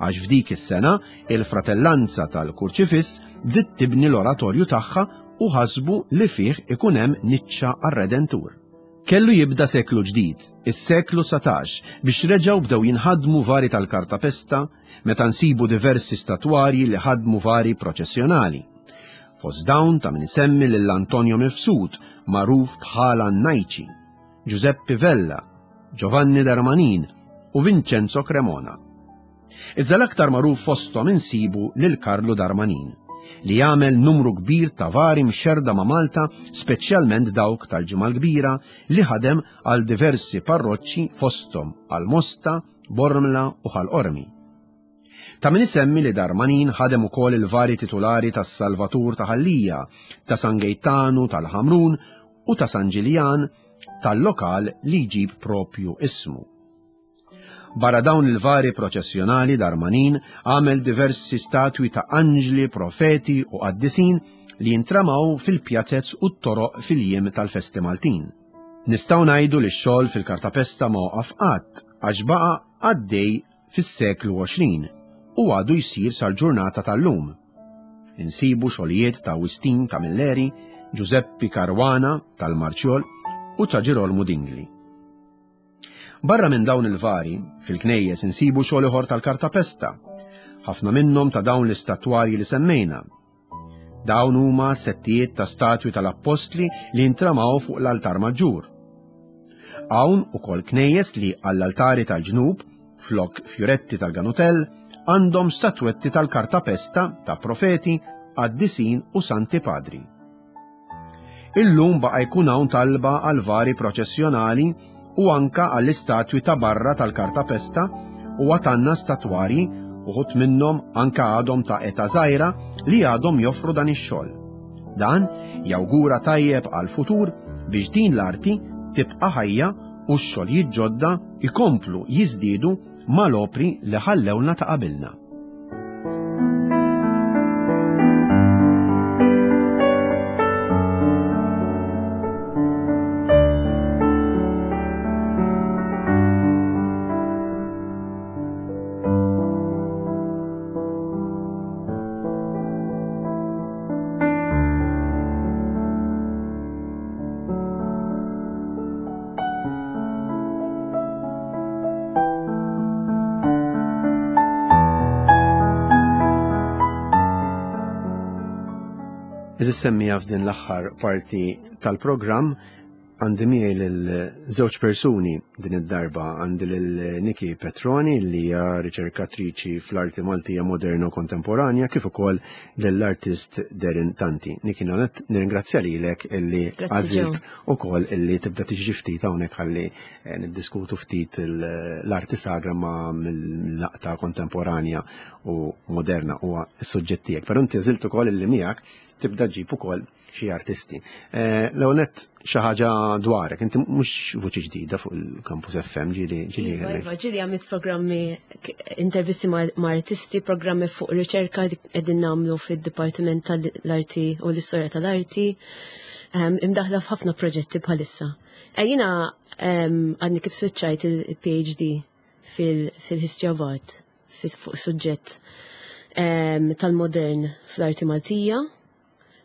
għax f'dik is-sena il-Fratellanza tal-Kurċifiss bdiet tibni l-oratorju tagħha u ħasbu li fih ikun hemm niċċa għar-Redentur. Kellu jibda seklu ġdid, is-seklu 19, biex reġgħu bdew jinħadmu vari tal-kartapesta meta nsibu diversi statwarji li ħadmu vari proċessjonali. Fost dawn ta' min isemmi lil Antonio Mifsud, magħruf bħala Najċi, Giuseppe Vella, Giovanni Darmanin u Vincenzo Cremona. Iżda l-aktar magħruf fosthom insibu lil Karlu Darmanin, li għamel numru kbir ta' vari mxerrda ma' Malta, speċjalment dawk tal-Ġimgħa l-Kbira li ħadem għal diversi parroċċi fosthom għal Mosta, Bormla u Ħal Qormi. Ta' min isemmi li Darmanin ħadem ukoll il-vari titulari tas-Salvatur ta' Ħal Lija, ta' San Gejtanu tal-Ħamrun u ta' San Ġiljan tal-lokal li jġib propju ismu. Barra dawn il-vari proċessjonali Darmanin għamel diversi statwi ta' anġli, profeti u qaddisin li jintramaw fil-pjazez u t-toroq fil-jiem tal-festi Maltin. Nistgħu ngħidu li x-xogħol fil-kartapesta ma waqaf qatt għax baqa' għaddej fis-seklu 20 u għadu jsir sal-ġurnata tal-lum. Insibu xogħlijiet ta' Wistin Camilleri, Giuseppe Caruana tal-Marċjol u ta' Ġirolmu Dingli. Barra minn dawn il-vari, fil-knejjes insibu xogħol ieħor tal-kartapesta, ħafna minnhom ta' dawn l-istatwarji li semmejna. Dawn huma settijiet ta' statwi tal-appostli li jintramaw fuq l-altar maġġur. Hawn ukoll knejjes li għall-altari tal-ġnub, flok fjuretti tal-ganutell, għandhom statwetti tal-kartapesta ta' profeti, qaddisin u santi padri. Illum baqa' jkun hawn talba għal vari proċessjonali u anka għall-istatwi ta' barra tal-kartapesta u għatanna statwarji uħut minnhom anka għadhom ta' età żgħira li għadhom joffru dan ix-xogħol. Dan jawgura tajjeb għall-futur biex din l-arti tibqa' ħajja u x-xogħlijiet ġodda jkomplu jiżdiedu mal-opri li ħallewlna ta' qabilna. Eżis semmija f'din l-aħħar parti tal-programm għandi miegħi lil żewġ persuni din id-darba għandi lil Niki Petroni li hija riċerkatriċi fl-arti Maltija moderna u kontemporanja kif ukoll lill-artist Darren Tanti. Niki nirringrazzja lilek illi għażilt ukoll illi tibda tiġi ftit hawnhekk ħalli eh, niddiskutu ftit l-arti sagra ma' mill-laqta kontemporanja u moderna huwa s-suġġett tiegħek. Però inti għażilt ukoll illi miegħek tibda ġib ukoll xi artisti. Eh, Leonet xi ħaġa dwarek, inti mhux vuċi ġdida fuq il-Campus FM ġieli ġieli. Iva, iva, ġieli għamilt programmi intervisti ma' artisti, programmi fuq riċerka li qegħdin nagħmlu fid-Dipartiment tal-Arti u l-Istorja tal-Arti. Ehm, imdaħla f'ħafna proġetti bħalissa. Eh, jiena ehm, għadni kif switchajt il-PhD fil-History of Art fuq suġġett ehm, tal-modern fl-arti Maltija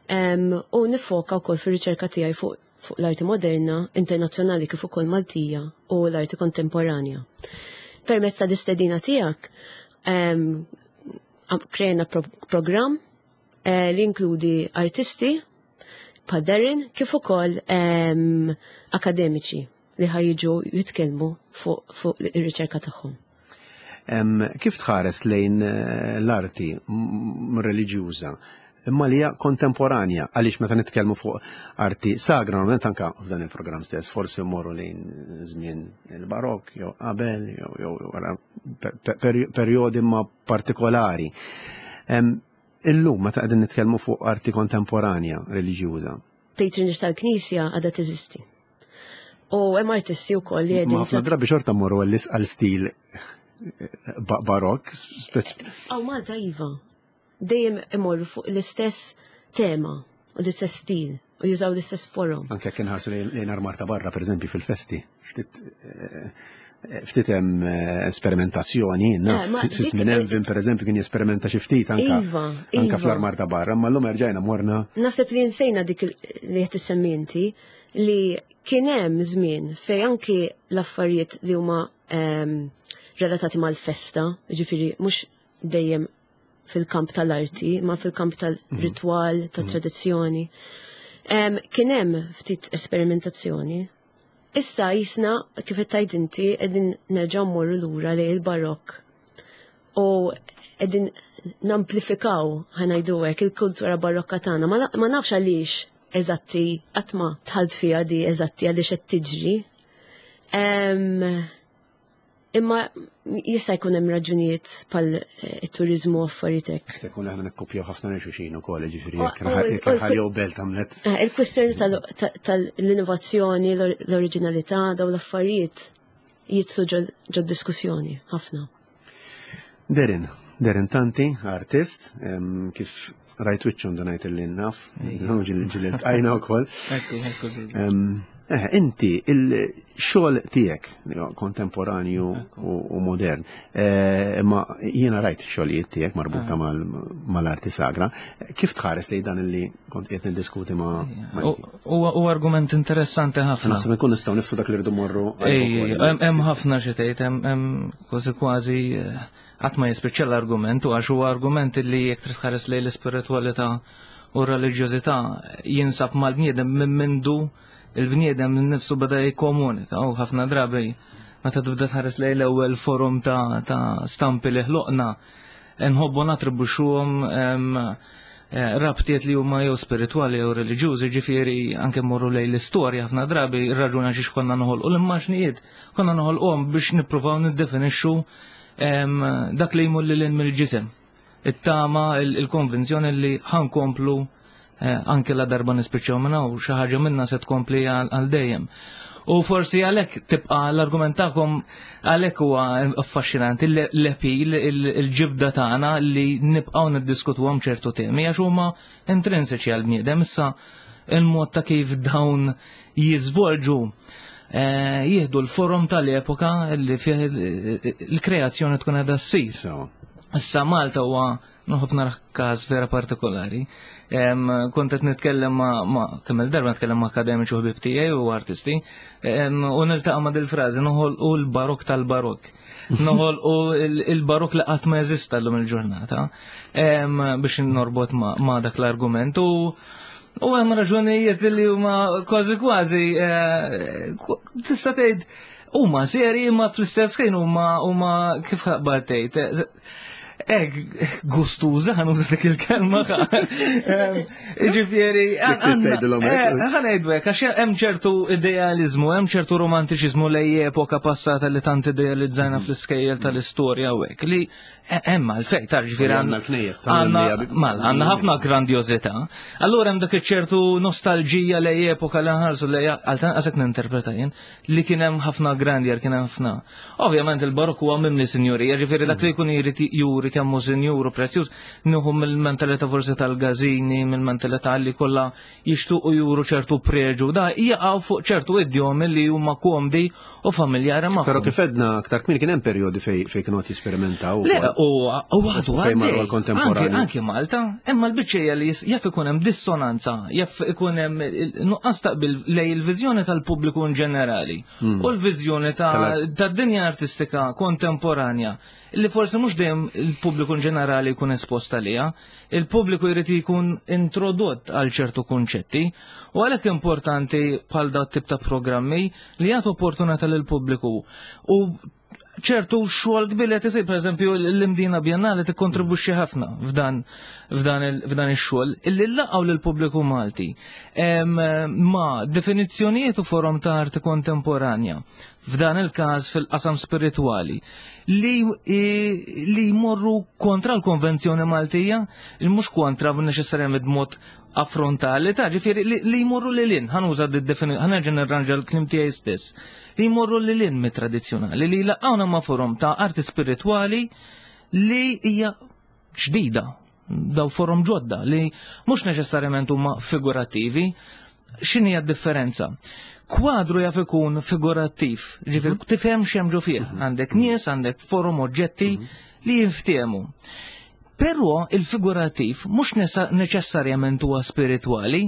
u nifoka wkoll fir-riċerka tiegħi fuq fuq l-arti moderna, internazzjonali kif ukoll Maltija u l-arti kontemporanja. Permezz ta' l-istedina tiegħek krejna programm eh, li inkludi artisti bħal Darren kif ukoll akademiċi li ħajġu jitkellmu fuq ir-riċerka tagħhom. Kif tħares lejn eh, l-arti reliġjuża imma li hija kontemporanja għaliex meta nitkellmu fuq arti sagra normalment anka f'dan il-programm stess forsi mmorru lejn żmien il-barokk jew qabel jew wara perjodi ma partikolari. Illum meta qegħdin nitkellmu fuq arti kontemporanja reliġjuża. Patronage tal-Knisja għadha teżisti. U hemm artisti wkoll li qegħdin. Ħafna drabi xorta mmorru għal stil barokk. Aw Malta iva. Dejjem imorru fuq l-istess tema u l-istess stil u jużaw l-istess forum. Anke kien ħarsu lejn armar ta' barra, per eżempju, fil-festi. Ftit eh, ftit hemm eh, esperimentazzjoni, naf, eh, fi żmien Elvin per eżempju kien jesperimenta xi ftit anka iva, anka iva. fl-armar ta' barra, ma llum erġajna morna. Naħseb li nsejna dik li qed issemmi inti li kien hemm żmien fejn anki l-affarijiet li huma ehm, relatati mal-festa, ġifieri mhux dejjem fil-kamp tal-arti, ma fil-kamp tal-ritwal, mhm. tat-tradizzjoni. Kien hemm ftit esperimentazzjoni. Issa jisna, kif qed tgħid inti, qegħdin nerġgħu mmorru lura lejn il-barokk. U qegħdin namplifikaw ħanajdu hekk il-kultura barokka tagħna. Ma nafx għaliex eżatti qatt ma tħalt fiha di eżatti għaliex qed tiġri. Imma jista' jkun hemm raġunijiet bħal eh, it-turiżmu u affarijiet hekk. Jista' jkun aħna nikkopjaw ħafna lil xulxin ukoll, jiġifieri jekk raħal jew belt għamlet. Eh, il-kwistjoni tal-innovazzjoni, l-oriġinalità, dawn l-affarijiet jidħlu ġod diskussjoni ħafna. Derin, Derin Tanti, artist, kif rajt wiċċu ndunajt li naf, ġilli ġilli tqajna wkoll. Ekku, ekku. Eh, inti il-xogħol tiegħek kontemporanju u modern, eh, imma jiena rajt xogħlijiet tiegħek marbuta ah. mal-arti sagra, kif tħares li dan li kont qed niddiskuti ma' U argument interessanti ħafna. Naħseb nkun nistgħu nifsu dak li rridu morru. Hemm ħafna xi tgħid, hemm kważi kważi eh, qatt ma jispiċċa l-argument u għax huwa argument li jekk trid tħares lejn l-ispiritwalità u r-reliġjożità jinsab mal-bniedem minn mindu il-bniedem nifsu beda jikkomunika u ħafna drabi meta tibda tħares lejn l-ewwel forum ta', ta stampi li ħloqna nħobbu natribuxuhom eh, rabtiet li huma jew spiritwali jew reliġjużi, ġifieri anke mmorru lejn l-istorja ħafna drabi ir-raġuna xiex konna noħolqu l-immaġnijiet, konna noħolquhom biex nippruvaw niddefinixxu dak li jmur lil mill-ġisem. It-tama, il-konvinzjoni li ħankomplu eh, anke la darba nispiċċaw minna u xi ħaġa minna se tkompli għal dejjem. U forsi għalhekk tibqa' l-argument tagħkom għalhekk huwa affaxxinanti l-epil, il-ġibda tagħna li nibqgħu niddiskutuhom ċertu temi għax huma intrinsiċi għall-bniedem issa il-mod ta' kif dawn jiżvolġu eh, jieħdu l-forum tal-epoka li fih il-kreazzjoni tkun qiegħda ssir. Issa Malta huwa nħobb nara każ vera partikolari. Kont qed nitkellem ma' kemm il-darba nitkellem ma' akademiċi u ħbieb tiegħi u artisti, u niltaqa' ma' dil-frażi noħolqu l-barok tal-barok. Noħolqu il-barok li qatt ma jeżista llum il-ġurnata biex norbot ma' dak l-argument u U hemm raġunijiet li huma kważi kważi eh, tista' tgħid huma seri imma fl-istess ħin huma huma kif ħaqbad tgħid. Eh, Ek, gustuża, ħan uża dik il-kelma. Ġifieri, ħanejdu hekk, għax hemm ċertu idealizmu, hemm ċertu romantiċiżmu lej epoka passata li tant idealizzajna fl-iskejjel tal-istorja u hekk li Hemm għalfejn, ta' ġifieri għandna l-knejjes, għandna ħafna grandjożità. Allura hemm dak iċ-ċertu nostalġija lej epoka li nħarsu lej għal tanqas hekk ninterpreta jien li kien hemm ħafna grandjer, kien hemm ħafna. Ovvjament il-barokk huwa mimli sinjurija, ġifieri dak li jkun jrid juri kemm hu sinjur u prezzjuż, nieħu mill-mentalità forsi tal-gażini, mill-mentalità li kollha jixtuqu juru ċertu preġu, da jaqgħu fuq ċertu idjomi li huma komdi u familjari magħhom. Però kif edna aktar kmieni kien hemm perjodi fej fej kienu qed jisperimentaw. Le, u għadu fejn marru l-kontemporanju. Anke Malta, imma l-biċċejja li jaf ikun hemm dissonanza, jaf ikun hemm nuqqas taqbil lej il-viżjoni tal-pubbliku in ġenerali hmm. u l-viżjoni tad-dinja artistika kontemporanja li forsi mhux dejjem il-pubbliku in ġenerali jkun espost għaliha, il-pubbliku jrid jkun introdott għal ċertu kunċetti u għalhekk importanti bħal dat tip ta' programmi li jagħtu opportunità lill-pubbliku u ċertu xogħol kbir li qed isir, pereżempju l-Imdina Biennale tikkontribwixxi ħafna f'dan f'dan ix-xogħol illi laqgħu lill-pubbliku Malti ma' definizzjonijiet u forom ta' arti kontemporanja f'dan il-każ fil-qasam spiritwali, li, li jmorru kontra l-konvenzjoni Maltija, il mhux kontra neċessarjament b'mod affrontali, ta' ġifieri li, li jmorru lil hinn, ħanuża ħanerġa' nirranġa l-kliem tiegħi stess, li jmorru lil hinn mit-tradizzjonali, li jlaqgħuna ma' forom ta' arti spiritwali li hija ġdida, daw forom ġodda li mhux neċessarjament huma figurattivi. X'inhi d-differenza? Kwadru jaf ikun figurattiv, ġifieri mhm. tifhem x'hemm ġo fih. Mhm. Għandek nies, għandek forom oġġetti mhm. li jinftehmu. Però il-figurattiv mhux neċessarjament huwa spiritwali,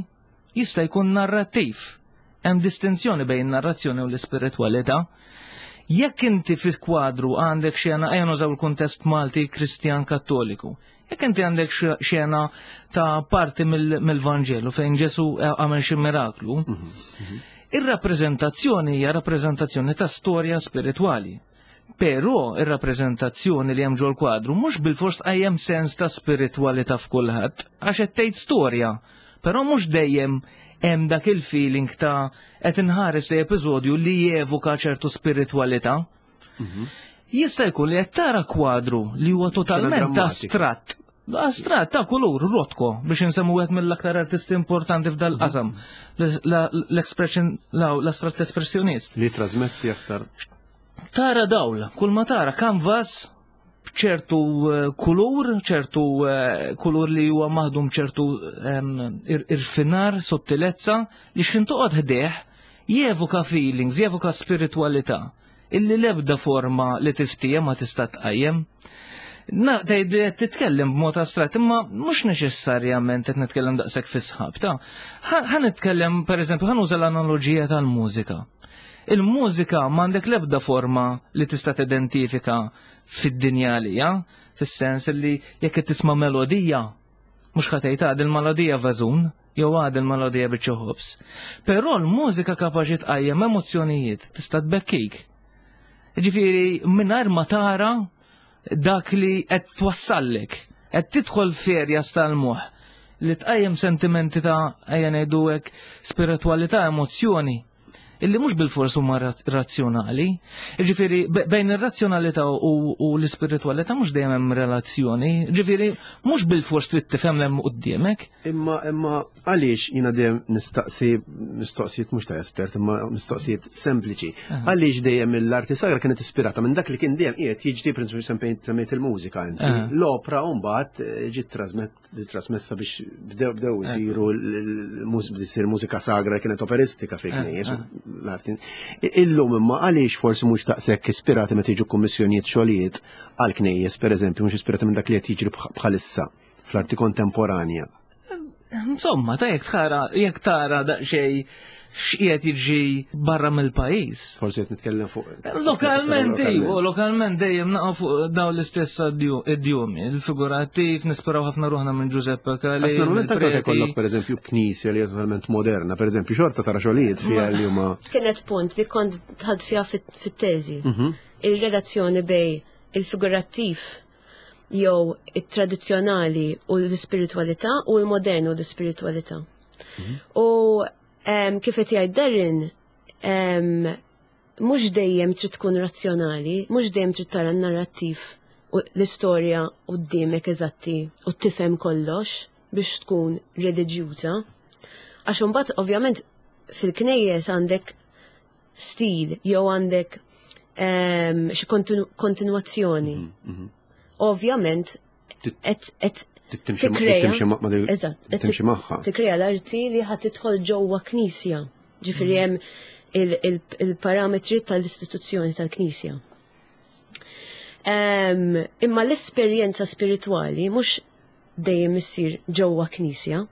jista' jkun narrattiv. Hemm distinzjoni bejn narrazzjoni u l-ispiritwalità. Jekk inti fil-kwadru għandek xena, ejja nużaw il-kuntest Malti Kristjan Kattoliku, jekk inti għandek xena ta' parti mill-Vanġelu fejn Ġesu għamel xi miraklu, mhm, mhm. ir-rappreżentazzjoni hija rappreżentazzjoni ta' storja spiritwali. Però ir-rappreżentazzjoni li hemm ġol-kwadru mhux bilfors tqajjem sens ta' spiritwalità f'kulħadd, għax qed tgħid storja, però mhux dejjem hemm dak il-feeling ta' qed inħares li episodju li jevoka ċertu spiritwalità. Mhm. Jista' jkun li qed tara kwadru li huwa totalment astratt. Astratt ta' kulur, Rothko, biex insemmu wieħed mill-aktar artisti importanti f'dal-qasam. L-expression, l-astratt espressjonist. Li trasmetti aktar. Tara dawl, kull ma tara canvas ċertu eh, kulur, ċertu eh, kulur li huwa maħdum ċertu irfinar, sottilezza, li x'in toqgħod ħdejh jevoka feelings, jevoka spiritualità illi l-ebda forma li tiftiehem ma tista' tqajjem. Na, tgħid li qed titkellem b'mod astratt, imma mhux neċessarjament qed nitkellem daqshekk fi sħab ta' ħa nitkellem pereżempju ħa nuża l-analoġija tal-mużika. Il-mużika m'għandek l-ebda forma li tista' tidentifika fid-dinja għalija, fis-sens li jekk qed tisma' melodija, mhux ħa tgħid għad il-melodija vażun, jew għad il-melodija biċċa ħobż. Però l-mużika kapaċi tqajjem emozzjonijiet, tista' tbekkik. Ġifieri mingħajr ma tara dak li qed twassallek, qed tidħol f'erjas tal-moħħ li tqajjem sentimenti ta' ejja ngħidu hekk spiritwalità, emozzjoni illi mhux bilfors huma razzjonali. Ġifieri bejn ir-razzjonalità u l-ispiritwalità mhux dejjem hemm relazzjoni. Ġifieri mhux bilfors trid tifhem hemm quddiemek. Imma imma għaliex jiena dejjem nistaqsi mistoqsijiet mhux ta' espert, imma mistoqsijiet sempliċi. Għaliex dejjem l-arti sagra kienet ispirata minn dak li kien dejjem qiegħed jiġri prinċipalment semmejt il-mużika inti. L-opra mbagħad eh, ġiet trasmessa biex bdew bdew isiru l-isir mużika sagra kienet operistika fi knejjes l-arti. Illum imma għaliex forsi mhux daqshekk ispirati meta jiġu kummissjonijiet xogħlijiet għal knejjes pereżempju mhux ispirati minn dak li qed jiġri bħalissa fl-arti kontemporanja. Insomma, ta' jekk tara, jekk tara daqsxejn x'qiegħed jiġi barra mill-pajjiż. Forsi qed nitkellem fuq. Lokalment iva, lokalment dejjem naqgħu fuq dawn l-istess idjomi, il-figurattiv nisperaw ħafna ruħna minn Giuseppe Cali. Għax normalment anke jkollok pereżempju knisja li hija totalment moderna, pereżempju xorta tara xogħlijiet fiha li huma. Kienet punt li kont dħalt fiha fit-teżi. Mhm. Il-relazzjoni bej il-figurattiv jew it-tradizzjonali u l-ispiritwalità u l-modern u l-ispiritwalità. Mhm. U kif qed jgħid Darren, mhux dejjem trid tkun razzjonali, mhux dejjem trid tara n-narrattiv u l-istorja quddiemek eżatti u tifhem kollox biex tkun reliġjuża. Għax imbagħad ovvjament fil-knejjes għandek stil jew għandek xi kontinwazzjoni. Mhm, mhm. Ovvjament qed tikreja. Timxi magħha. Tikreja l-arti li ħadd tidħol ġewwa knisja. Ġifieri mhm. hemm il-parametri tal-istituzzjoni tal-knisja. Imma l-esperjenza spiritwali mhux dejjem issir ġewwa knisja.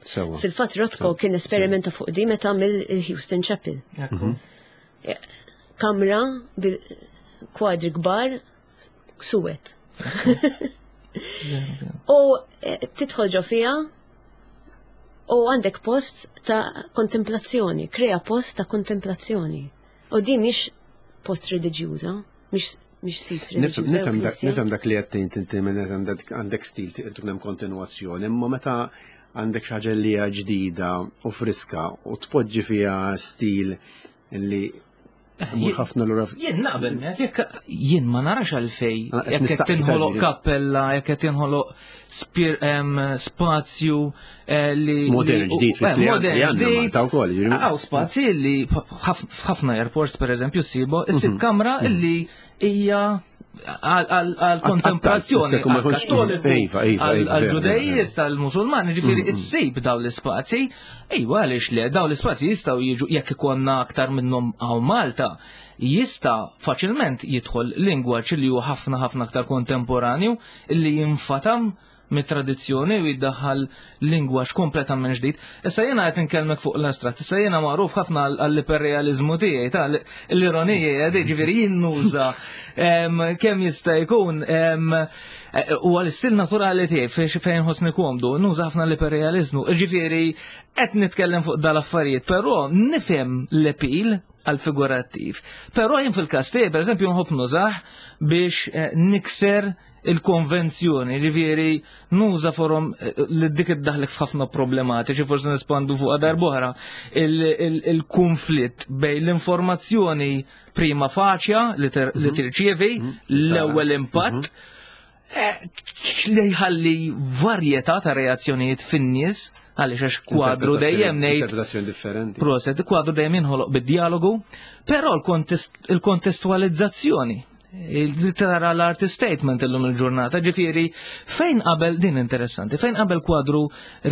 Sewa. Fil-fatt Rothko kien esperimenta fuq di meta għamel il-Houston Chapel. Mhm. Eh, kamra bil kwadri kbar suwet. U eh, tidħol ġo fija u għandek post ta' kontemplazzjoni, krea post ta' kontemplazzjoni. U di mhix post reliġjuża, mhix mhix sit reliġjuża. Nifhem dak li qed tgħid inti minn għandek stil tkun hemm kontinwazzjoni, imma meta għandek xi ħaġa li hija ġdida u friska u tpoġġi fiha stil li eh, ħafna lura. Jien naqbel miegħek jekk jien ma narax għalfej jekk qed tinħoloq kappella, jekk qed tinħoloq spazju eh, li. Modern ġdid fis li modern ġdid. Ta' wkoll. Għaw spazji li f'ħafna airports pereżempju ssibu, issib mhm. kamra mhm. li hija għal-kontemplazzjoni, għal-kattoliku, iva, iva, iva, għal-ġudejjiet, tal-musulmani, ġifiri, mhm. issib daw l-ispazji, iva għaliex le, daw l-ispazji jistaw jiġu jekk ikonna aktar minnhom għaw Malta, jista faċilment jidħol lingwaġġ li huwa ħafna ħafna aktar kontemporanju li jinfatam mit-tradizzjoni u jiddaħħal lingwaġġ kompletament ġdid. Issa jiena qed inkellmek fuq l-astratt, issa jiena magħruf ħafna għall-iperrealiżmu tiegħi ta' l-ironija ġifieri jien nuża kemm jista' jkun u għal-istil naturali tiegħi fejn ħossni komdu, nuża ħafna l-iperrealiżmu. Ġifieri qed nitkellem fuq dal-affarijiet, però nifhem l-epil għal-figurattiv. Però jien fil-każ tiegħi, pereżempju, nħobb nużah biex eh, nikser il-konvenzjoni, ġifieri nuża forom eh, li dik iddaħlek f'ħafna problematiċi, forsi nispandu fuq darb'oħra, il-konflitt bejn l-informazzjoni prima faċja li mhm. tirċievi, mhm. l-ewwel impatt, mhm. eh, li jħalli varjetà ta' reazzjonijiet fin-nies għaliex għax kwadru dejjem ngħid. Interpretazzjoni differenti. Proset, kwadru dejjem jinħoloq bid-dialogu, però l-kontestualizzazzjoni li tara l-artist statement illum il-ġurnata, ġifieri fejn qabel din interessanti, fejn qabel kwadru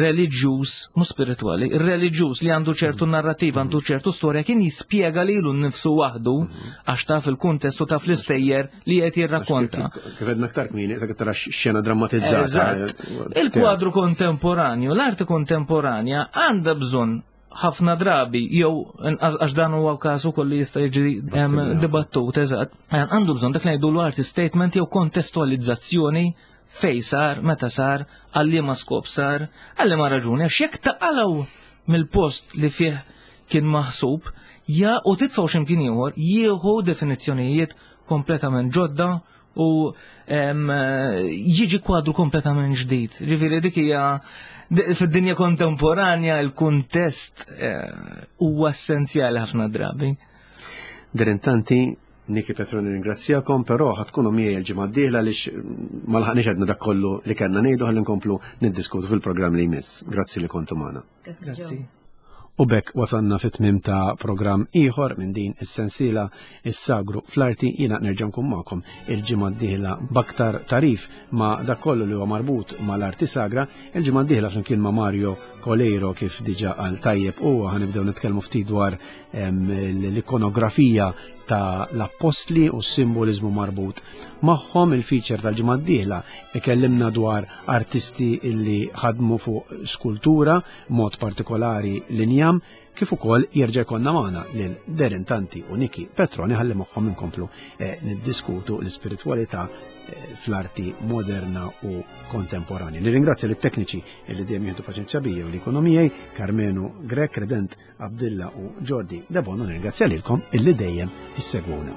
reliġjuż, mhux spiritwali, reliġjuż li għandu ċertu mm. narrativa, għandu ċertu storja kien jispjega lilu nnifsu waħdu mm. għax taf il-kuntestu taf l-istejjer li qed jirrakkonta. Kif għedna aktar kmieni, qed tara xena drammatizzata. Il-kwadru kontemporanju, l-arti kontemporanja għandha bżonn ħafna drabi jew għax dan huwa każ ukoll li jista' jiġi dibattut eżatt, għandu bżonn dak li ngħidu l-artist statement jew kontestualizzazzjoni fej sar, meta sar, għal liema skop sar, għal liema raġuni, għax jekk taqalgħu mill-post li fih kien maħsub, ja u titfgħu x'imkien ieħor, jieħu definizzjonijiet kompletament ġodda u jiġi kwadru kompletament ġdid. Ġifieri dik hija fid-dinja kontemporanja il-kuntest eh, huwa essenzjali ħafna drabi. Dirintanti, Niki Petroni ringrazzjakom, però ħatkunu miegħi l-ġimgħa d-dieħla għaliex ma laħaqniex għedna dak kollu li kellna ngħidu ħalli nkomplu niddiskutu fil-programm li jmiss. Grazzi li kontu magħna. Grazzi. U b'hekk wasalna fit-tmiem ta' programm ieħor minn din is-sensiela Is-Sagru fl-Arti. Jiena nerġa' nkun magħkom il-ġimgħa d-dieħla b'aktar tagħrif ma' dak kollu li huwa marbut mal-arti sagra. Il-ġimgħa d-dieħla flimkien ma' Mario Coleiro kif diġà qal tajjeb huwa ħanibdew nitkellmu ftit dwar l-ikonografija ta' l-appostli u s-simboliżmu marbut magħhom. Il-feature tal-ġimgħa d-dieħla ikellimna dwar artisti illi ħadmu fuq skultura, mod partikolari l-injam, kif ukoll jerġa' jkollna magħna lil Darren Tanti u Niki Petroni ħalli magħhom inkomplu eh, niddiskutu l-ispiritwalità eh, fl-arti moderna u kontemporanja. Nirringrazzja lit-tekniċi li dejjem jieħdu paċenzja bija u li jkunu miegħi, Karmenu Grek, Redent Abdilla u Jordi Debono, nirringrazzja lilkom illi dejjem issegwuna.